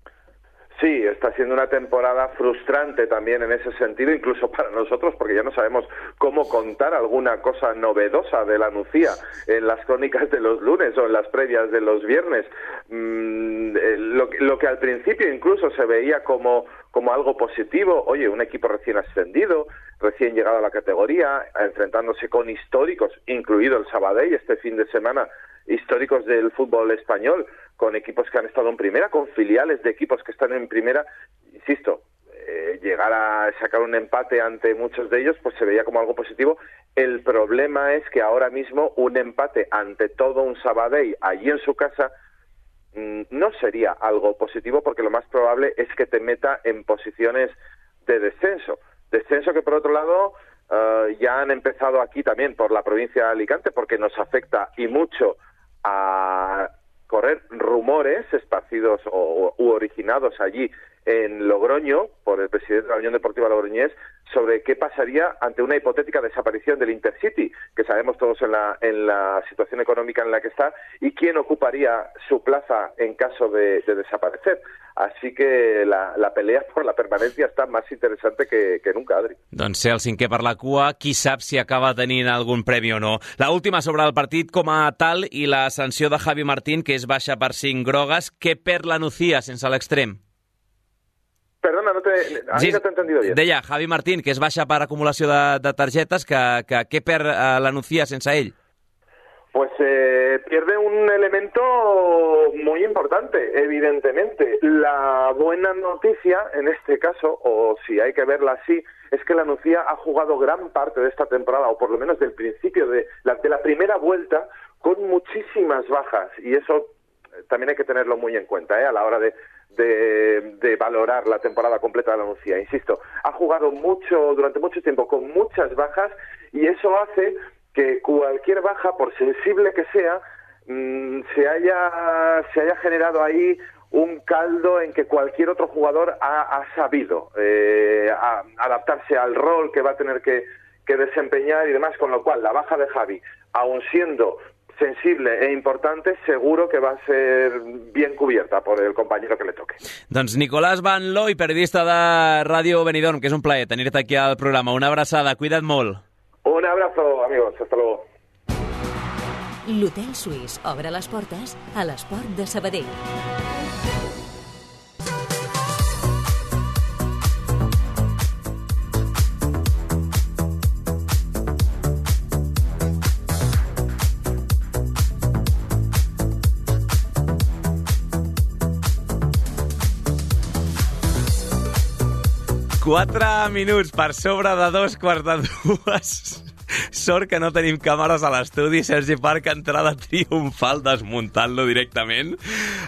Sí, está siendo una temporada frustrante también en ese sentido, incluso para nosotros, porque ya no sabemos cómo contar alguna cosa novedosa de la Nucía en las crónicas de los lunes o en las previas de los viernes. Lo que al principio incluso se veía como algo positivo, oye, un equipo recién ascendido, recién llegado a la categoría, enfrentándose con históricos, incluido el Sabadell este fin de semana, históricos del fútbol español, con equipos que han estado en primera, con filiales de equipos que están en primera. Insisto, llegar a sacar un empate ante muchos de ellos, pues se veía como algo positivo. El problema es que ahora mismo un empate ante todo un Sabadell allí en su casa no sería algo positivo, porque lo más probable es que te meta en posiciones de descenso. Descenso que, por otro lado, ya han empezado aquí también por la provincia de Alicante, porque nos afecta y mucho a correr rumores esparcidos u originados allí en Logroño por el presidente de la Unión Deportiva Logroñés sobre qué pasaría ante una hipotética desaparición del Intercity, que sabemos todos en la situación económica en la que está, y quién ocuparía su plaza en caso de desaparecer. Así que la pelea por la permanencia està més interessant que nunca, Adri. Doncs ser el cinquè per la cua, qui sap si acaba tenint algun premi o no. La última sobre el partit com a tal i la sanció de Javi Martín, que és baixa per 5 grogues. Què perd la Nucía sense l'extrem? Perdona, no te he entendido bien. Deia, Javi Martín, que és baixa per acumulació de targetes, que què perd la Nucía sense ell? Pues pierde un elemento muy importante, evidentemente. La buena noticia, en este caso, o si hay que verla así, es que la Nucía ha jugado gran parte de esta temporada, o por lo menos del principio de la primera vuelta, con muchísimas bajas. Y eso también hay que tenerlo muy en cuenta a la hora de valorar la temporada completa de la Nucía. Insisto, ha jugado durante mucho tiempo con muchas bajas, y eso hace que cualquier baja, por sensible que sea, se haya generado ahí un caldo en que cualquier otro jugador ha sabido adaptarse al rol que va a tener que desempeñar y demás, con lo cual la baja de Javi, aun siendo sensible e importante, seguro que va a ser bien cubierta por el compañero que le toque. Doncs Nicolás Van Looy, periodista de Ràdio Benidorm, que és un plaer tenir-te aquí al programa. Una abraçada, cuida't molt. Un abrazo, amigos, hasta luego. L'Hotel Suís obre les portes a l'esport de Sabadell. Quatre minuts per sobre de 2:45. Sort que no tenim càmeres a l'estudi. Sergi Parc, entrada triomfal, desmuntant-lo directament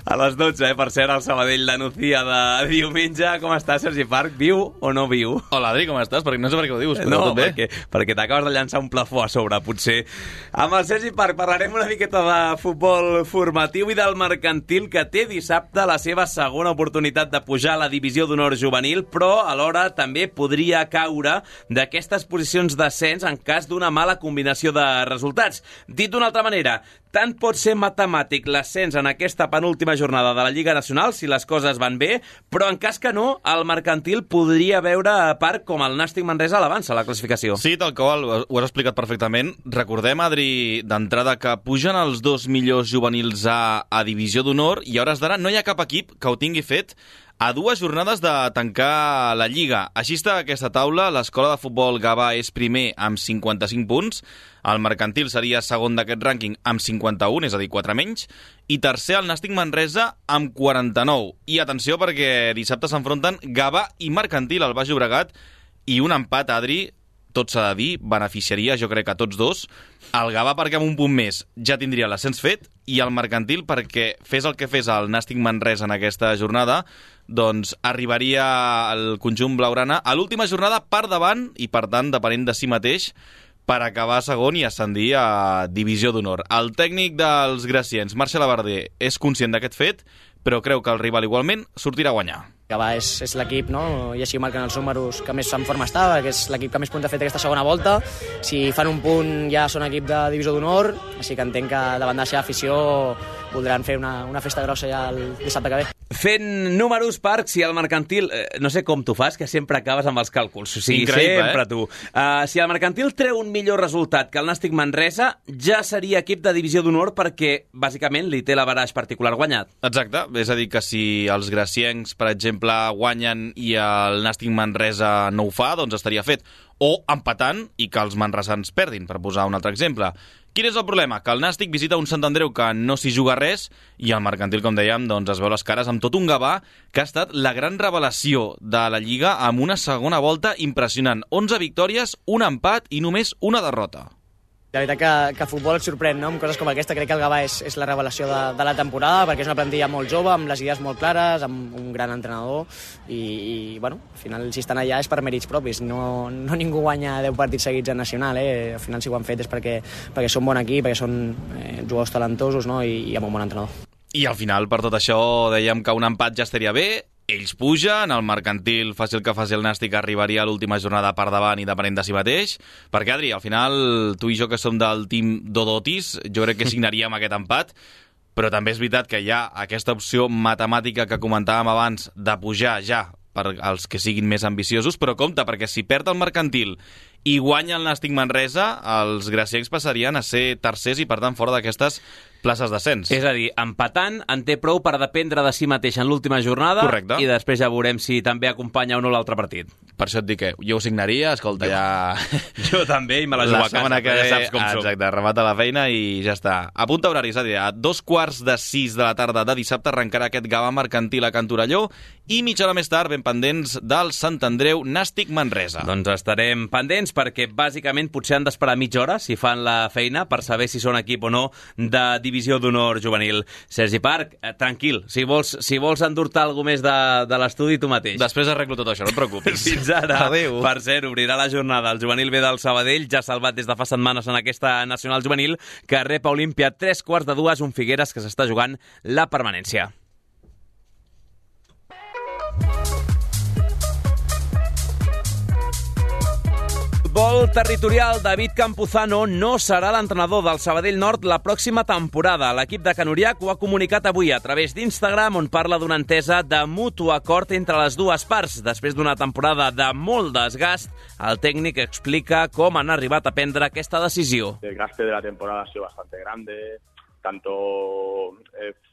a les 12, per cert, al Sabadell la Nucía de diumenge. Com estàs, Sergi Parc? Viu o no viu? Hola, Adri, com estàs? Perquè no sé per què ho dius, però no, tot bé. perquè t'acabes de llançar un plafó a sobre, potser. Amb el Sergi Parc parlarem una miqueta de futbol formatiu i del Mercantil, que té dissabte la seva segona oportunitat de pujar a la divisió d'honor juvenil, però alhora també podria caure d'aquestes posicions d'ascens en cas d'una mala combinació de resultats. Dit d'una altra manera, tant pot ser matemàtic l'ascens en aquesta penúltima jornada de la Lliga Nacional si les coses van bé, però en cas que no, el Mercantil podria veure a part com el Nàstic Manresa l'avança a la classificació. Sí, tal qual, ho has explicat perfectament. Recordem, Adri, d'entrada que pugen els 2 millors juvenils a divisió d'honor i a hores d'ara no hi ha cap equip que ho tingui fet a 2 jornades de tancar la Lliga. Així està aquesta taula. L'escola de futbol Gavà és primer amb 55 punts, el Mercantil seria segon d'aquest rànquing amb 51, és a dir, 4 menys, i tercer el Nàstic Manresa amb 49. I atenció, perquè dissabte s'enfronten Gavà i Mercantil al Baix Llobregat, i un empat, Adri, tot s'ha de dir, beneficiaria, jo crec, a tots dos. El Gavà perquè amb un punt més ja tindria l'ascens fet, i el Mercantil perquè fes el que fes el Nàstic Manresa en aquesta jornada, doncs arribaria el conjunt blaugrana a l'última jornada per davant i, per tant, depenent de si mateix, per acabar segon i ascendir a divisió d'honor. El tècnic dels graciens, Marcel Abarder, és conscient d'aquest fet, però creu que el rival igualment sortirà a guanyar. Gavà és l'equip, no? I així marquen els números, que més en forma està, que és l'equip que més punts ha fet aquesta segona volta. Si fan un punt ja són equip de divisió d'honor, així que entenc que davant de la seva afició voldran fer una festa grossa ja el dissabte que ve. Fent números, Parc, si el Mercantil... no sé com tu fas, que sempre acabes amb els càlculs. O sigui, increïble, sempre tu. Si el Mercantil treu un millor resultat que el Nàstic Manresa, ja seria equip de divisió d'honor perquè, bàsicament, li té l'averaix particular guanyat. Exacte. És a dir, que si els graciencs, per exemple, guanyen i el Nàstic Manresa no ho fa, doncs estaria fet. O empatant i que els manresans perdin, per posar un altre exemple. Quin és el problema? Que el Nàstic visita un Sant Andreu que no s'hi juga res i el Mercantil, com dèiem, doncs es veu les cares amb tot un Gavà que ha estat la gran revelació de la Lliga amb una segona volta impressionant. 11 victòries, un empat i només una derrota. La veritat que futbol et sorprèn, no? Amb coses com aquesta. Crec que el Gavà és la revelació de la temporada, perquè és una plantilla molt jove, amb les idees molt clares, amb un gran entrenador, i bueno, al final, si estan allà és per mèrits propis. No ningú guanya 10 partits seguits en nacional, Al final, si ho han fet és perquè són bon equip, perquè són jugadors talentosos, no? I amb un bon entrenador. I al final, per tot això, dèiem que un empat ja estaria bé. ells pugen, el Mercantil, fàcil que faci el Nàstic, arribaria a l'última jornada per davant i depenent de si mateix, perquè, Adri, al final, tu i jo que som del team Dodotis, jo crec que signaríem aquest empat, però també és veritat que hi ha aquesta opció matemàtica que comentàvem abans de pujar ja per als que siguin més ambiciosos, però compte, perquè si perd el Mercantil i guanya el Nàstic Manresa, els graciencs passarien a ser tercers i, per tant, fora d'aquestes places d'ascens. És a dir, empatant en té prou per dependre de si mateix en l'última jornada. Correcte. I després ja veurem si també acompanya o no l'altre partit. Per això et dic que jo ho signaria, escolta, ja... Jo també, i me la jugo a casa, que ja saps com som. Exacte, remata la feina i ja està. Apunta horaris, a dir, a 5:45 de la tarda de dissabte arrencarà aquest Gavà Mercantil a Can Torelló i mitja hora més tard ben pendents del Sant Andreu Nàstic Manresa. Doncs estarem pendents perquè bàsicament potser han d'esperar mitja hora si fan la feina per saber si són equip o no de Divisió d'Honor Juvenil. Sergi Parc, tranquil, si vols endur-te alguna més de l'estudi tu mateix. Després arreglo tot això, no et preocupis. Fins ara. Adéu. Per cert, obrirà la jornada el juvenil B del Sabadell, ja salvat des de fa setmanes en aquesta nacional juvenil, que rep a Olímpia 3:45, un Figueres que s'està jugant la permanència. Futbol territorial, David Campuzano no serà l'entrenador del Sabadell Nord la pròxima temporada. L'equip de Can Uriac ho ha comunicat avui a través d'Instagram, on parla d'una entesa de mutu acord entre les dues parts. Després d'una temporada de molt desgast, el tècnic explica com han arribat a prendre aquesta decisió. El gasto de la temporada ha sido bastante grande, tanto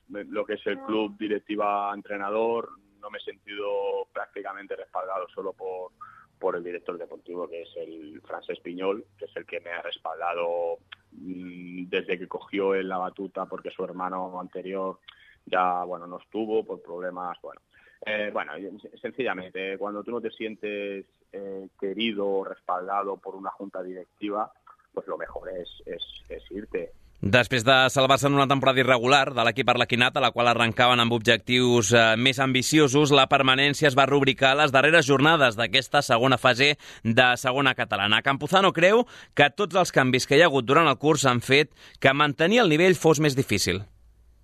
lo que es el club, directiva, entrenador, no me he sentido prácticamente respaldado solo por el director deportivo, que es el Francesc Piñol, que es el que me ha respaldado desde que cogió en la batuta, porque su hermano anterior ya no estuvo por problemas. Sencillamente, cuando tú no te sientes querido o respaldado por una junta directiva, pues lo mejor es irte. Després de salvar-se en una temporada irregular de l'equip arlequinat, a la qual arrencaven amb objectius més ambiciosos, la permanència es va rubricar a les darreres jornades d'aquesta segona fase de segona catalana. Campuzano creu que tots els canvis que hi ha hagut durant el curs han fet que mantenir el nivell fos més difícil.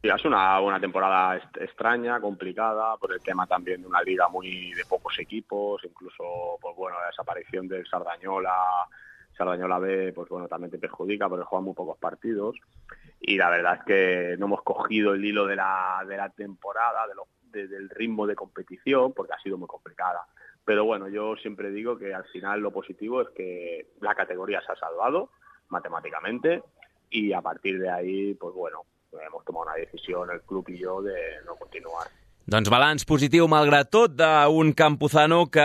Sí, es una temporada extraña, complicada, por el tema también de una liga muy de pocos equipos, incluso la desaparición del Sardañola B, también te perjudica porque juegan muy pocos partidos, y la verdad es que no hemos cogido el hilo de la temporada, del ritmo de competición, porque ha sido muy complicada. Pero yo siempre digo que al final lo positivo es que la categoría se ha salvado matemáticamente, y a partir de ahí, hemos tomado una decisión, el club y yo, de no continuar. Doncs balanç positiu, malgrat tot, d'un Campuzano que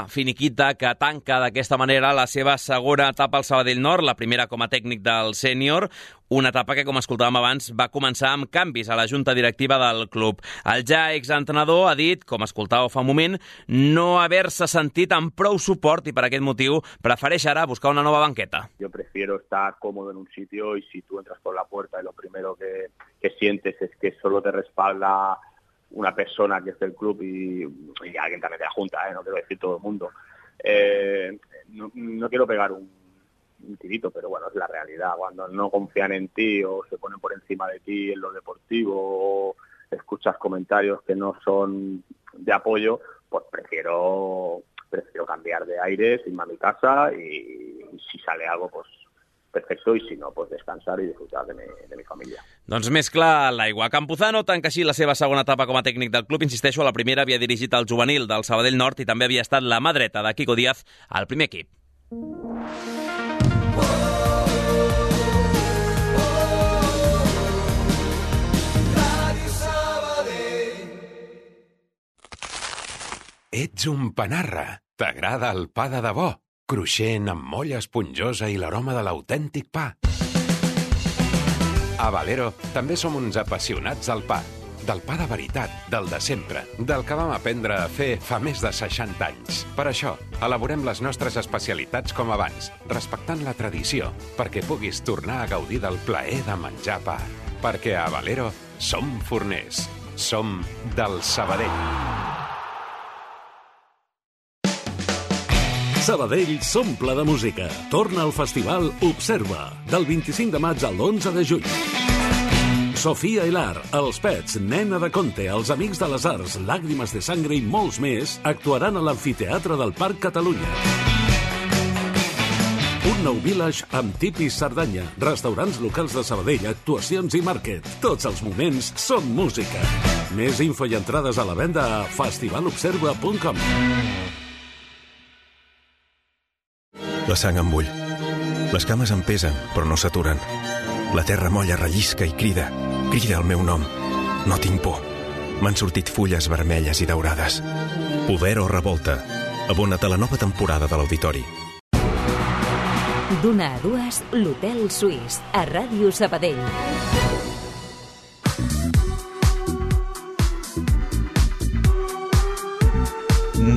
finiquita, que tanca d'aquesta manera la seva segona etapa al Sabadell Nord, la primera com a tècnic del sènior, una etapa que, com escoltàvem abans, va començar amb canvis a la junta directiva del club. El ja exentrenador ha dit, com escoltàveu fa un moment, no haver-se sentit amb prou suport i per aquest motiu prefereix ara buscar una nova banqueta. Yo prefiero estar cómodo en un sitio, y si tú entras por la puerta y lo primero que sientes es que solo te respalda una persona que es del club y alguien también de la junta, no quiero decir todo el mundo. No quiero pegar un tirito, pero es la realidad. Cuando no confían en ti o se ponen por encima de ti en lo deportivo, o escuchas comentarios que no son de apoyo, pues prefiero cambiar de aire, irme a mi casa, y si sale algo, pues perfecto, y si no, pues descansar y disfrutar de mi familia. Doncs més clar l'aigua. Campuzano tanca així la seva segona etapa com a tècnic del club. Insisteixo, a la primera havia dirigit el juvenil del Sabadell Nord i també havia estat la mà dreta de Quico Díaz al primer equip. Ets un panarra. T'agrada el pa de debò? Cruixent, amb molla esponjosa i l'aroma de l'autèntic pa. A Valero també som uns apassionats del pa. Del pa de veritat, del de sempre, del que vam aprendre a fer fa més de 60 anys. Per això, elaborem les nostres especialitats com abans, respectant la tradició, perquè puguis tornar a gaudir del plaer de menjar pa. Perquè a Valero som forners. Som del Sabadell. Sabadell s'omple de música. Torna al festival Observa, del 25 de maig al 11 de juny. Sofia Hilar, Els Pets, Nena de Conte, Els Amics de les Arts, Làgrimes de Sangre i molts més actuaran a l'Amfiteatre del Parc Catalunya. Un nou village amb tipis Cerdanya, restaurants locals de Sabadell, actuacions i màrquet. Tots els moments són música. Més info i entrades a la venda a festivalobserva.com. La sang em bull. Les cames em pesen, però no s'aturen. La terra molla, rellisca i crida. Crida el meu nom. No tinc por. M'han sortit fulles vermelles i daurades. Poder o revolta. Abona't a la nova temporada de l'Auditori. D'una a dues, l'Hotel Suís, a Ràdio Sabadell.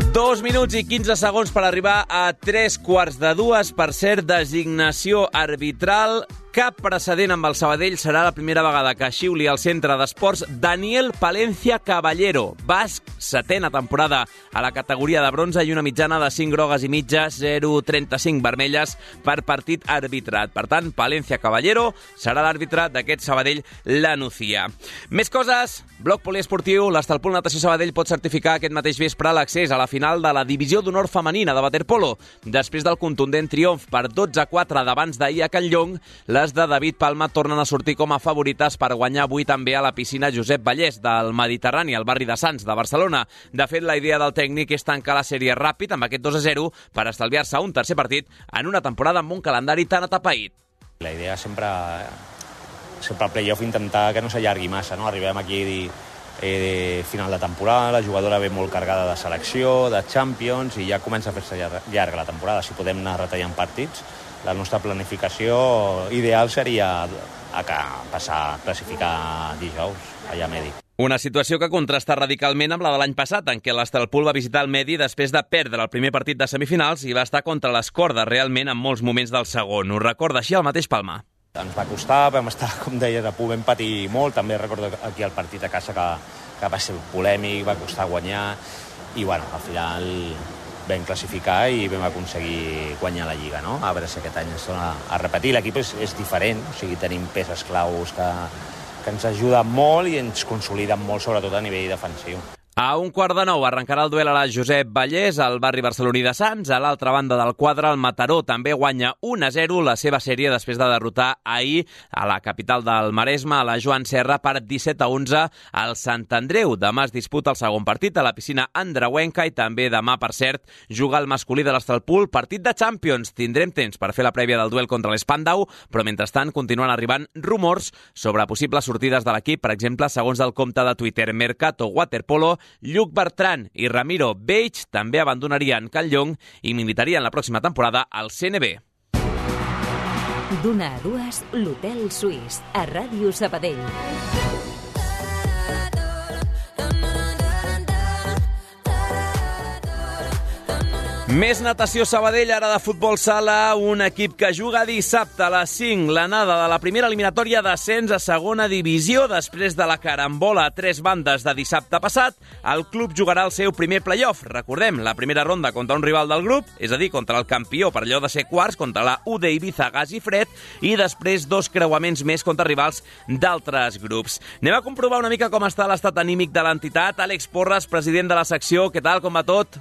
Dos minuts i 15 segons per arribar a 3:15. Per cert, designació arbitral. Cap precedent amb el Sabadell. Serà la primera vegada que xiuli al centre d'esports Daniel Palencia Caballero, basc, 7ª temporada a la categoria de bronze i una mitjana de 5 grogues i mitja, 0,35 vermelles per partit arbitrat. Per tant, Palencia Caballero serà l'àrbitre d'aquest Sabadell La Nucía. Més coses. Bloc poliesportiu. L'Estalpul Natació Sabadell pot certificar aquest mateix vespre l'accés a la final de la divisió d'honor femenina de waterpolo. Després del contundent triomf per 12-4 d'abans d'ahir a Can Llong, les de David Palma tornen a sortir com a favorites per guanyar avui també a la piscina Josep Vallès del Mediterrani, al barri de Sants de Barcelona. De fet, la idea del tècnic és tancar la sèrie ràpid amb aquest 2-0 per estalviar-se un tercer partit en una temporada amb un calendari tan atapeït. La idea sempre al play-off intentar que no s'allargui massa, no? Arribem aquí final de temporada, la jugadora ve molt cargada de selecció, de Champions, i ja comença a fer-se llarga la temporada. Si podem anar retallant partits, la nostra planificació ideal seria passar a classificar dijous, allà a Medi. Una situació que contrasta radicalment amb la de l'any passat, en què l'Estalpul va visitar el Medi després de perdre el primer partit de semifinals i va estar contra les cordes realment en molts moments del segon. Ho recorda així el mateix Palma. Ens va costar, vam estar, com deies, a punt, vam patir molt. També recordo aquí el partit a casa que va ser polèmic, va costar guanyar, i bueno, al final vam classificar i vam aconseguir guanyar la Lliga, no? A veure si aquest any es torna a repetir. L'equip és diferent, o sigui, tenim peces claus que ens ajuden molt i ens consoliden molt, sobretot a nivell defensiu. A 8:15 arrencarà el duel a la Josep Vallès, al barri barceloní de Sants. A l'altra banda del quadre, el Mataró també guanya 1-0 la seva sèrie després de derrotar ahir a la capital del Maresme, a la Joan Serra, per 17-11 al Sant Andreu. Demà es disputa el segon partit a la piscina andreuenca i també demà, per cert, juga el masculí de l'Estalpul, partit de Champions. Tindrem temps per fer la prèvia del duel contra l'Spandau, però mentrestant continuen arribant rumors sobre possibles sortides de l'equip. Per exemple, segons el compte de Twitter Mercato Waterpolo, Lluc Bertran i Ramiro Beig també abandonarien Can Llong i militarien la pròxima temporada al CNB. D'una a dues, l'Hotel Suís, a Ràdio Sabadell. Més natació Sabadell, ara de futbol sala, un equip que juga dissabte a les 5, l'anada de la primera eliminatòria d'ascens a segona divisió. Després de la carambola a 3 bandes de dissabte passat, el club jugarà el seu primer play-off. Recordem, la primera ronda contra un rival del grup, és a dir, contra el campió per allò de ser quarts, contra la UD Ibiza Gas i Fred, i després 2 creuaments més contra rivals d'altres grups. Anem a comprovar una mica com està l'estat anímic de l'entitat. Àlex Porres, president de la secció, què tal, com va tot?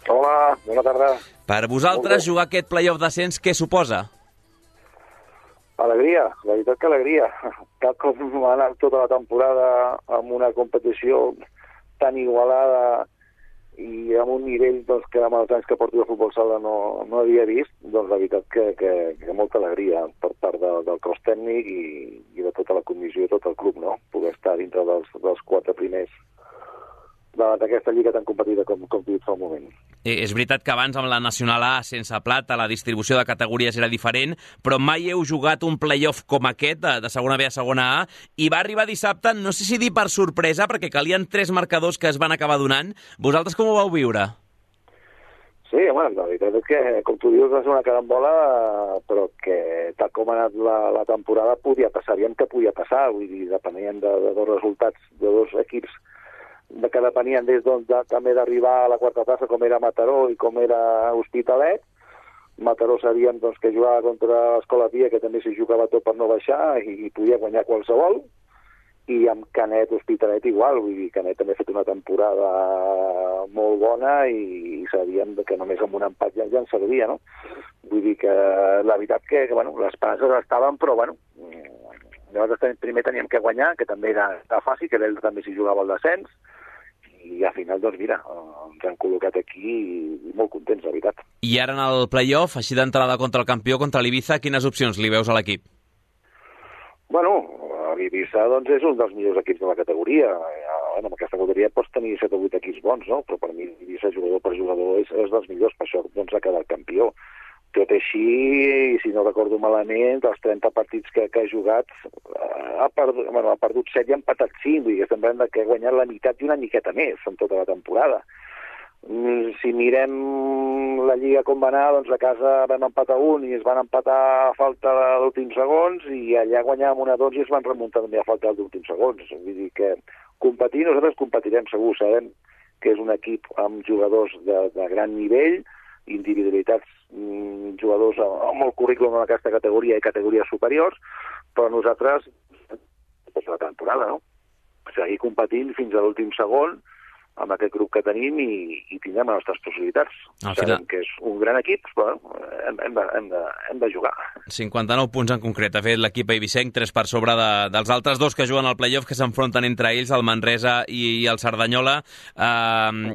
Hola, bona tarda. Per vosaltres, jugar aquest play-off d'ascens, què suposa? Alegria, la veritat que alegria. Tal com ha anat tota la temporada amb una competició tan igualada i amb un nivell que amb els anys que porto de futbol sala no havia vist, doncs la veritat que molta alegria per part del cos tècnic i de tota la comissió i tot el club, no? Poder estar dintre dels 4 primers d'aquesta lliga tan competida com dit fa un moment. És veritat que abans amb la Nacional A sense plata la distribució de categories era diferent, però mai heu jugat un play-off com aquest, de segona B a segona A, i va arribar dissabte, no sé si dir per sorpresa, perquè calien 3 marcadors que es van acabar donant. Vosaltres com ho vau viure? Sí, home, la veritat és que, com tu dius, va ser una carambola, però que tal com ha anat la temporada podia passar, aviam que podia passar, vull dir, depenien de 2 resultats de 2 equips que depenien també d'arribar a la quarta plaça, com era Mataró i com era Hospitalet. Mataró sabíem que jugava contra l'Escola Pia, que també s'hi jugava tot per no baixar i podia guanyar qualsevol. i amb Canet Hospitalet igual, vull dir, Canet també ha fet una temporada molt bona i sabíem que només amb un empat ja ens servia, no? Vull dir que la veritat que bueno, les esperances estaven, però bueno, llavors primer teníem que guanyar, que també era fàcil, que ell també s'hi jugava el descens, i al final, doncs mira, ens han col·locat aquí i molt contents, la veritat. I ara en el play-off, així d'entrada contra el campió, contra l'Ibiza, quines opcions li veus a l'equip? Bueno, l'Ibiza doncs, és un dels millors equips de la categoria. Bueno, en aquesta categoria pots tenir 7 o 8 equips bons, no? Però per mi l'Ibiza, jugador per jugador, és dels millors, per això doncs, ha quedat campió. Tot així, si no recordo malament, dels 30 partits que ha jugat, ha perdut 7 i ha empatat 5, vull dir que estem parlant que ha guanyat la meitat i una miqueta més en tota la temporada. Si mirem la Lliga com va anar, doncs a casa vam empatar 1 i es van empatar a falta d'últims segons i allà guanyàvem 1-2 i es van remuntar també a falta d'últims segons. Vull dir que competir, nosaltres competirem segur, sabem que és un equip amb jugadors de gran nivell, individualitats, jugadors amb el currículum en aquesta categoria i categories superiors, però nosaltres, doncs la temporada, no? Seguir competint fins a l'últim segon amb aquest grup que tenim i tindrem les nostres possibilitats. Sabem que és un gran equip, però hem de jugar. 59 punts en concret ha fet l'equip eivissenc, 3 per sobre dels altres dos que juguen al play-off, que s'enfronten entre ells, el Manresa i el Cerdanyola,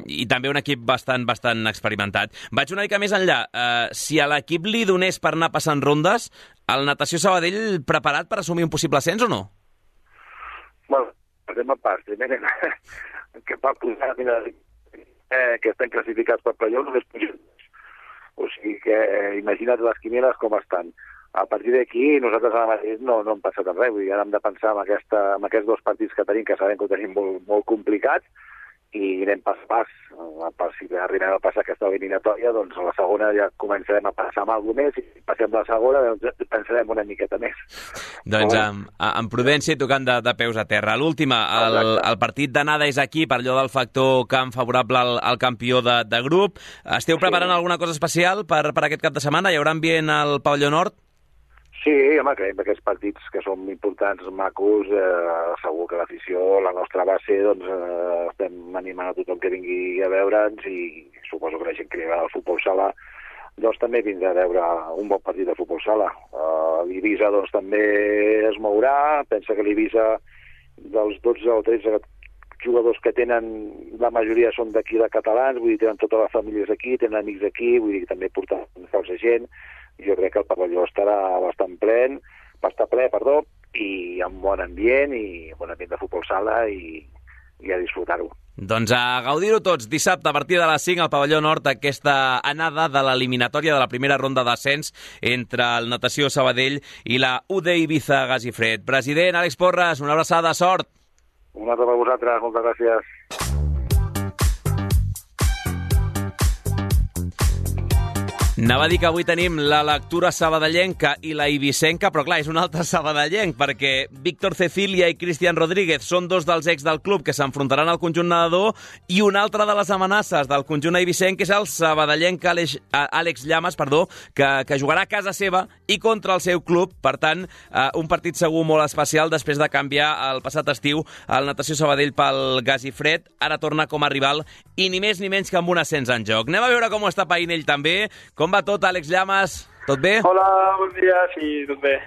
i també un equip bastant experimentat. Vaig una mica més enllà. Si a l'equip li donés per anar passant rondes, el Natació Sabadell preparat per assumir un possible ascens o no? Bueno, passem a pas. Primer, que per posar que estan classificats per play-off només pugen. O sigui que imagina't les quinieles com estan. A partir d'aquí nosaltres ara mateix no hem passat res, vull dir, ara hem de pensar en aquests 2 partits que tenim, que sabem que ho tenim molt complicats, i anem pas a pas. Si arribem a passar aquesta eliminatòria, doncs a la segona ja començarem a passar amb alguna més, i si passem la segona doncs pensarem una miqueta més. Doncs amb prudència i tocant de peus a terra. L'última, el partit d'anada és aquí, per allò del factor camp favorable al campió de grup. Esteu preparant alguna cosa especial per aquest cap de setmana? Hi haurà ambient al pavelló nord? Sí, home, creiem que aquests partits que són importants, macos, segur que l'afició, la nostra base, doncs estem animant a tothom que vingui a veure'ns i suposo que la gent que li agrada el futbol sala doncs també vindrà a veure un bon partit de futbol sala. L'Ibiza doncs també es mourà, pensa que l'Ibiza dels 12 o 13 jugadors que tenen, la majoria són d'aquí de catalans, vull dir, tenen totes les famílies aquí, tenen amics aquí, vull dir que també porten força gent. Jo crec que el pavelló estarà bastant ple, i amb bon ambient de futbol sala i a disfrutar-ho. Doncs a gaudir-ho tots. Dissabte, a partir de les 5, al pavelló nord, aquesta anada de l'eliminatòria de la primera ronda d'ascens entre el Natació Sabadell i la UD Ibiza Gas i Fred. President Àlex Porras, una abraçada, sort. Una altra per vosaltres, moltes gràcies. Anava a dir que avui tenim la lectura sabadellenca i la ibicenca, però clar, és un altre sabadellenc, perquè Víctor Cecilia i Cristian Rodríguez són 2 dels ex del club que s'enfrontaran al conjunt nedador, i una altra de les amenaces del conjunt eivissenc és el sabadellenc Àlex Llamas, que jugarà a casa seva i contra el seu club. Per tant, un partit segur molt especial després de canviar el passat estiu el Natació Sabadell pel Gas i Fred. Ara torna com a rival i ni més ni menys que amb un ascens en joc. Anem a veure com ho està païnt ell també. Com va tot, Àlex Llamas? Tot bé? Hola, bon dia, sí, tot bé.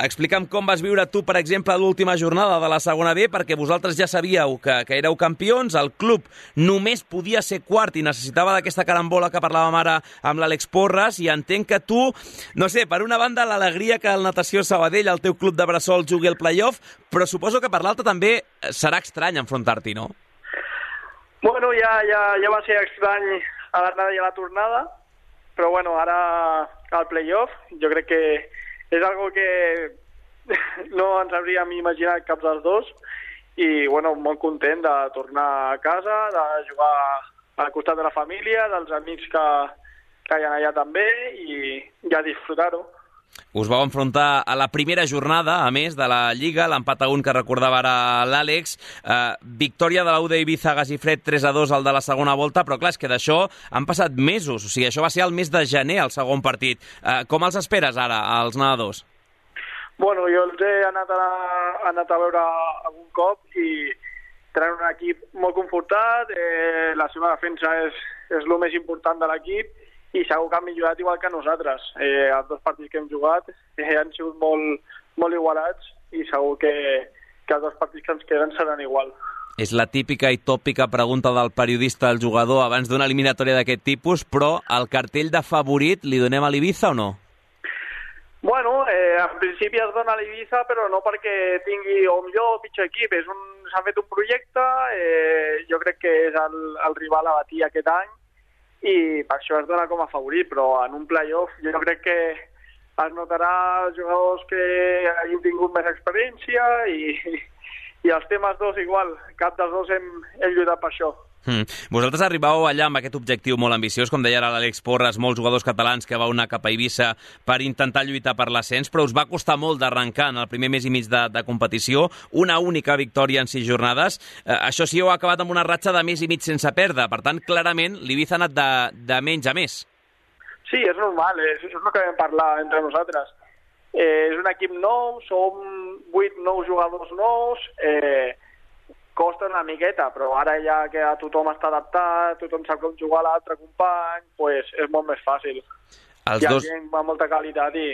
Explica'm com vas viure tu, per exemple, l'última jornada de la segona B, perquè vosaltres ja sabíeu que éreu campions, el club només podia ser quart i necessitava d'aquesta carambola que parlàvem ara amb l'Àlex Porras, i entenc que tu, no sé, per una banda l'alegria que el Natació Sabadell, el teu club de bressol, jugui al play-off, però suposo que per l'altra també serà estrany enfrontar-t'hi, no? Bueno, ja va ser estrany a l'anada i a la tornada, però bueno, ara al play-off jo crec que és algo que no ens hauríem imaginat cap dels dos, i bueno, molt content de tornar a casa, de jugar al costat de la família, dels amics que hi ha allà també, i a disfrutar-ho. Us vau enfrontar a la primera jornada, a més, de la Lliga, l'empat a 1 que recordava ara l'Àlex, victòria de la UD Ibiza Gas i Fred 3-2 al de la segona volta, però clar, és que d'això han passat mesos, o sigui, això va ser el mes de gener, el segon partit. Com els esperes ara, els nedadors? Bueno, jo els he anat a veure algun cop i tenen un equip molt confortat, la seva defensa és el més important de l'equip i segur que han millorat igual que nosaltres. Els 2 partits que hem jugat han sigut molt igualats i segur que els 2 partits que ens queden seran igual. És la típica i tòpica pregunta del periodista al jugador abans d'una eliminatòria d'aquest tipus, però el cartell de favorit li donem a l'Ibiza o no? Bueno, en principi es dona a l'Ibiza, però no perquè tingui o millor o pitjor equip. S'ha fet un projecte, jo crec que és el rival a batir aquest any i per això es dona com a favorit, però en un play-off jo crec que es notarà els jugadors que hagin tingut més experiència i els temes dos igual, cap dels dos hem lluitat per això. Vosaltres arribàveu allà amb aquest objectiu molt ambiciós, com deia ara l'Àlex Porras, molts jugadors catalans que vau anar cap a Eivissa per intentar lluitar per l'ascens, però us va costar molt d'arrencar en el primer mes i mig de competició, una única victòria en 6 jornades. Això sí, heu acabat amb una ratxa de mes i mig sense perdre, per tant, clarament, l'Ibiza ha anat de menys a més. Sí, és normal, és el que vam parlar entre nosaltres. És un equip nou, som 8-9 jugadors nous, costa una miqueta, però ara ja que tothom està adaptat, tothom sap com jugar a l'altre company, pues és molt més fàcil. Hi ha gent amb molta qualitat i...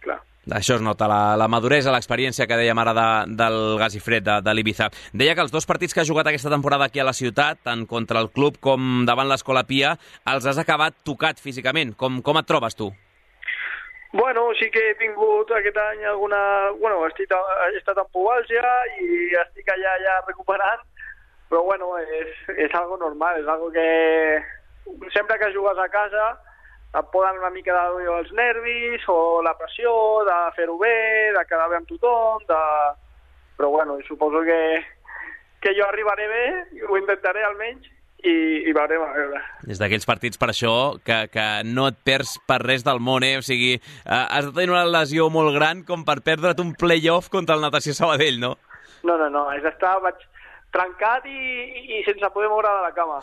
Clar. Això es nota, la maduresa, l'experiència que dèiem ara del gas i fred de l'Ibiza. Deia que els 2 partits que ha jugat aquesta temporada aquí a la ciutat, tant contra el club com davant l'Escola Pia, els has acabat tocat físicament. Com et trobes tu? Bueno, sí que he tingut aquest any alguna... Bueno, he estat amb pubalgia i estic allà ja recuperant, però bueno, és algo normal, és algo que sempre que jugues a casa et poden una mica de els nervis o la pressió de fer-ho bé, de quedar bé amb tothom, però bueno, suposo que jo arribaré bé, ho intentaré almenys, i veurem a veure. És d'aquells partits, per això, que no et perds per res del món, O sigui, has de tenir una lesió molt gran com per perdre't un play-off contra el Natació Sabadell, no? No, és estar trencat i sense poder moure de la cama.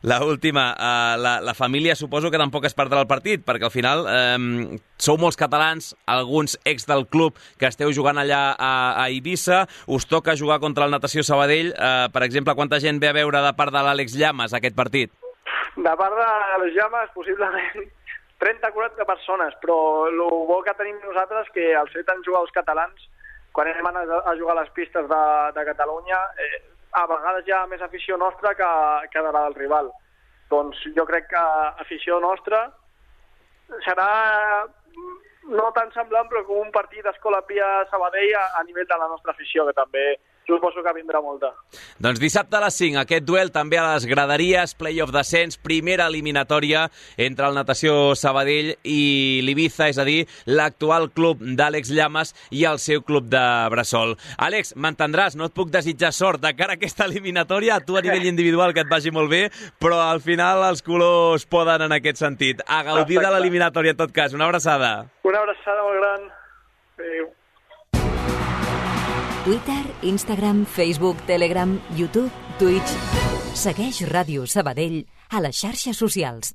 L'última, la família suposo que tampoc es perdrà el partit, perquè al final sou molts catalans, alguns ex del club que esteu jugant allà a Eivissa, us toca jugar contra el Natació Sabadell. Per exemple, quanta gent ve a veure de part de l'Àlex Llamas aquest partit? De part de les Llamas, possiblement 30-40 persones, però el bo que tenim nosaltres que al fet en jugar els catalans, quan anem a jugar a les pistes de Catalunya, a vegades hi ha més afició nostra que de la del rival. Doncs jo crec que afició nostra serà no tan semblant, però com un partit d'Escola Pia Sabadell a nivell de la nostra afició, que també suposo que vindrà molta. Doncs dissabte a les 5, aquest duel també a les graderies, play-off descens, primera eliminatòria entre el Natació Sabadell i l'Ibiza, és a dir, l'actual club d'Àlex Llamas i el seu club de Bressol. Àlex, m'entendràs, no et puc desitjar sort de cara a aquesta eliminatòria, a tu a nivell individual que et vagi molt bé, però al final els colors poden en aquest sentit. A gaudir de l'eliminatòria en tot cas. Una abraçada. Una abraçada molt gran. Adéu. Twitter, Instagram, Facebook, Telegram, YouTube, Twitch. Segueix Ràdio Sabadell a les xarxes socials.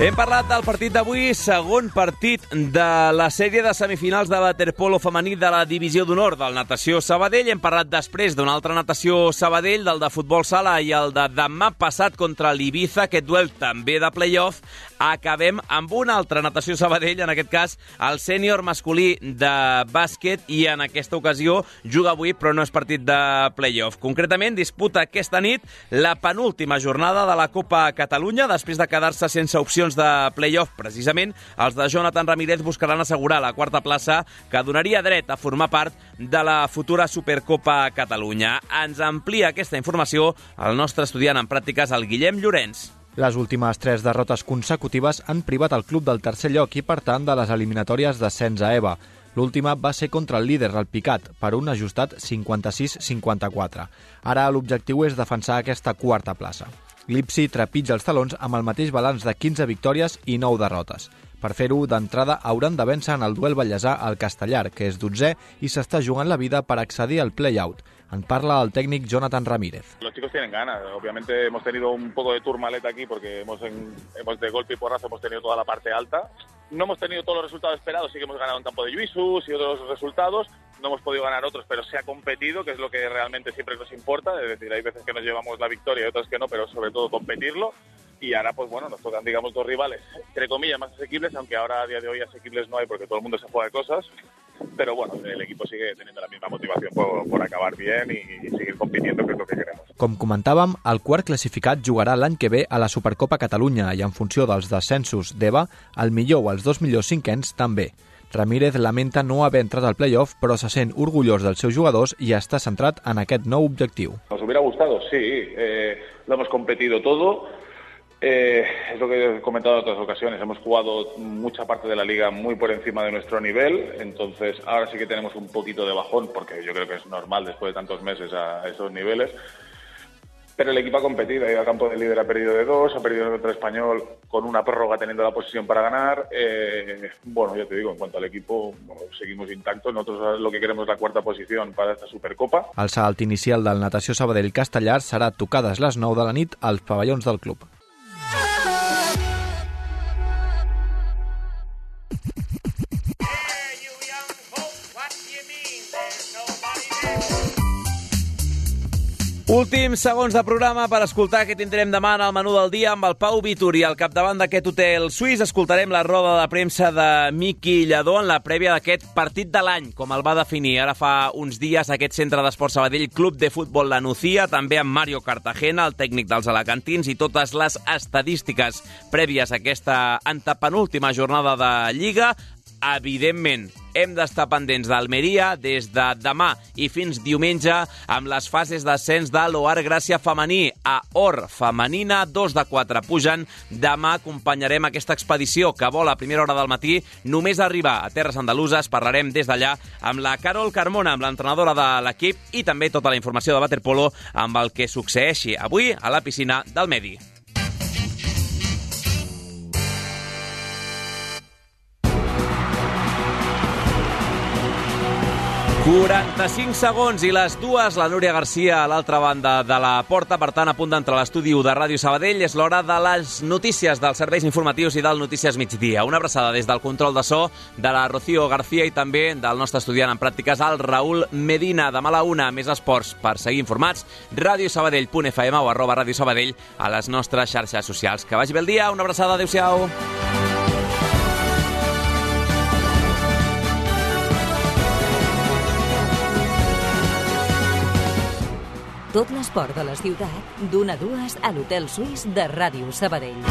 Hem parlat del partit d'avui, segon partit de la sèrie de semifinals de waterpolo femení de la Divisió d'Honor del Natació Sabadell. Hem parlat després d'un altre Natació Sabadell, del de futbol sala i el de demà passat contra l'Ibiza, aquest duel també de play-off. Acabem amb un altre Natació Sabadell, en aquest cas el sènior masculí de bàsquet, i en aquesta ocasió juga avui, però no és partit de play-off. Concretament, disputa aquesta nit la penúltima jornada de la Copa Catalunya, després de quedar-se sense opcions de play-off. Precisament, els de Jonathan Ramírez buscaran assegurar la quarta plaça que donaria dret a formar part de la futura Supercopa Catalunya. Ens amplia aquesta informació el nostre estudiant en pràctiques, el Guillem Llorenç. Les últimes 3 derrotes consecutives han privat el club del tercer lloc i, per tant, de les eliminatòries d'ascens a EVA. L'última va ser contra el líder, el Picat, per un ajustat 56-54. Ara l'objectiu és defensar aquesta quarta plaça. L'Ipsi trepitja els talons amb el mateix balanç de 15 victòries i 9 derrotes. Per fer-ho, d'entrada, hauran de vèncer en el duel ballesà al Castellar, que és 12è i s'està jugant la vida per accedir al play-out. En parla el tècnic Jonathan Ramírez. Los chicos tienen ganas. Obviamente hemos tenido un poco de turmaleta aquí porque hemos de golpe y porrazo hemos tenido toda la parte alta. No hemos tenido todos los resultados esperados, sí que hemos ganado un campo de Lluïsos y otros resultados. No hemos podido ganar otros, pero se ha competido, que es lo que realmente siempre nos importa. Es decir, hay veces que nos llevamos la victoria y otras que no, pero sobre todo competirlo. Y ahora, pues bueno, nos tocan, digamos, dos rivales, entre comillas, más asequibles, aunque ahora a día de hoy asequibles no hay porque todo el mundo se juega de cosas. Pero bueno, el equipo sigue teniendo la misma motivación por acabar bien y seguir compitiendo, que és el que queremos. Com comentàvem, el quart classificat jugarà l'any que ve a la Supercopa Catalunya i en funció dels descensos d'EVA, el millor o els dos millors cinquens també. Ramírez lamenta no haver entrat al play-off, però se sent orgullós dels seus jugadors i està centrat en aquest nou objectiu. Nos hubiera gustado, sí. Lo hemos competido todo. Es lo que he comentado en otras ocasiones, hemos jugado mucha parte de la liga muy por encima de nuestro nivel, entonces ahora sí que tenemos un poquito de bajón, porque yo creo que es normal después de tantos meses a esos niveles, pero el equipo ha competido, ha ido al campo del líder, ha perdido de 2, ha perdido contra Español con una prórroga teniendo la posición para ganar. Bueno, ya te digo, en cuanto al equipo, bueno, seguimos intactos, nosotros lo que queremos es la cuarta posición para esta Supercopa. El salt inicial del Natació Sabadell Castellar serà tocades les 9 de la nit als pavellons del club. Últims segons de programa per escoltar què tindrem demà en el menú del dia amb el Pau Vituri. Al capdavant d'aquest hotel suís escoltarem la roda de premsa de Miqui Lladó en la prèvia d'aquest partit de l'any, com el va definir ara fa uns dies aquest centre d'esport Sabadell Club de Futbol La Nucía, també amb Mario Cartagena, el tècnic dels alacantins, i totes les estadístiques prèvies a aquesta antepenúltima jornada de Lliga. Evidentment, hem d'estar pendents d'Almeria des de demà i fins diumenge amb les fases d'ascens de l'OAR Gràcia femení. A Or femenina, 2 de 4 pugen. Demà acompanyarem aquesta expedició que vola a primera hora del matí. Només arribar a Terres Andaluses parlarem des d'allà amb la Carol Carmona, amb l'entrenadora de l'equip, i també tota la informació de waterpolo amb el que succeeixi avui a la piscina del Medi. 45 segons i les 2, la Núria Garcia a l'altra banda de la porta, per tant, a punt d'entrar a l'estudi de Ràdio Sabadell. És l'hora de les notícies, dels serveis informatius i del Notícies Migdia. Una abraçada des del control de so de la Rocío García i també del nostre estudiant en pràctiques, el Raül Medina. Demà a la 1, més esports per seguir informats. radiosabadell.fm o @Ràdio Sabadell a les nostres xarxes socials. Que vagi bé el dia, una abraçada, adéu-siau. Tot l'esport de la ciutat, d'1 a 2 a l'Hotel Suís de Ràdio Sabadell.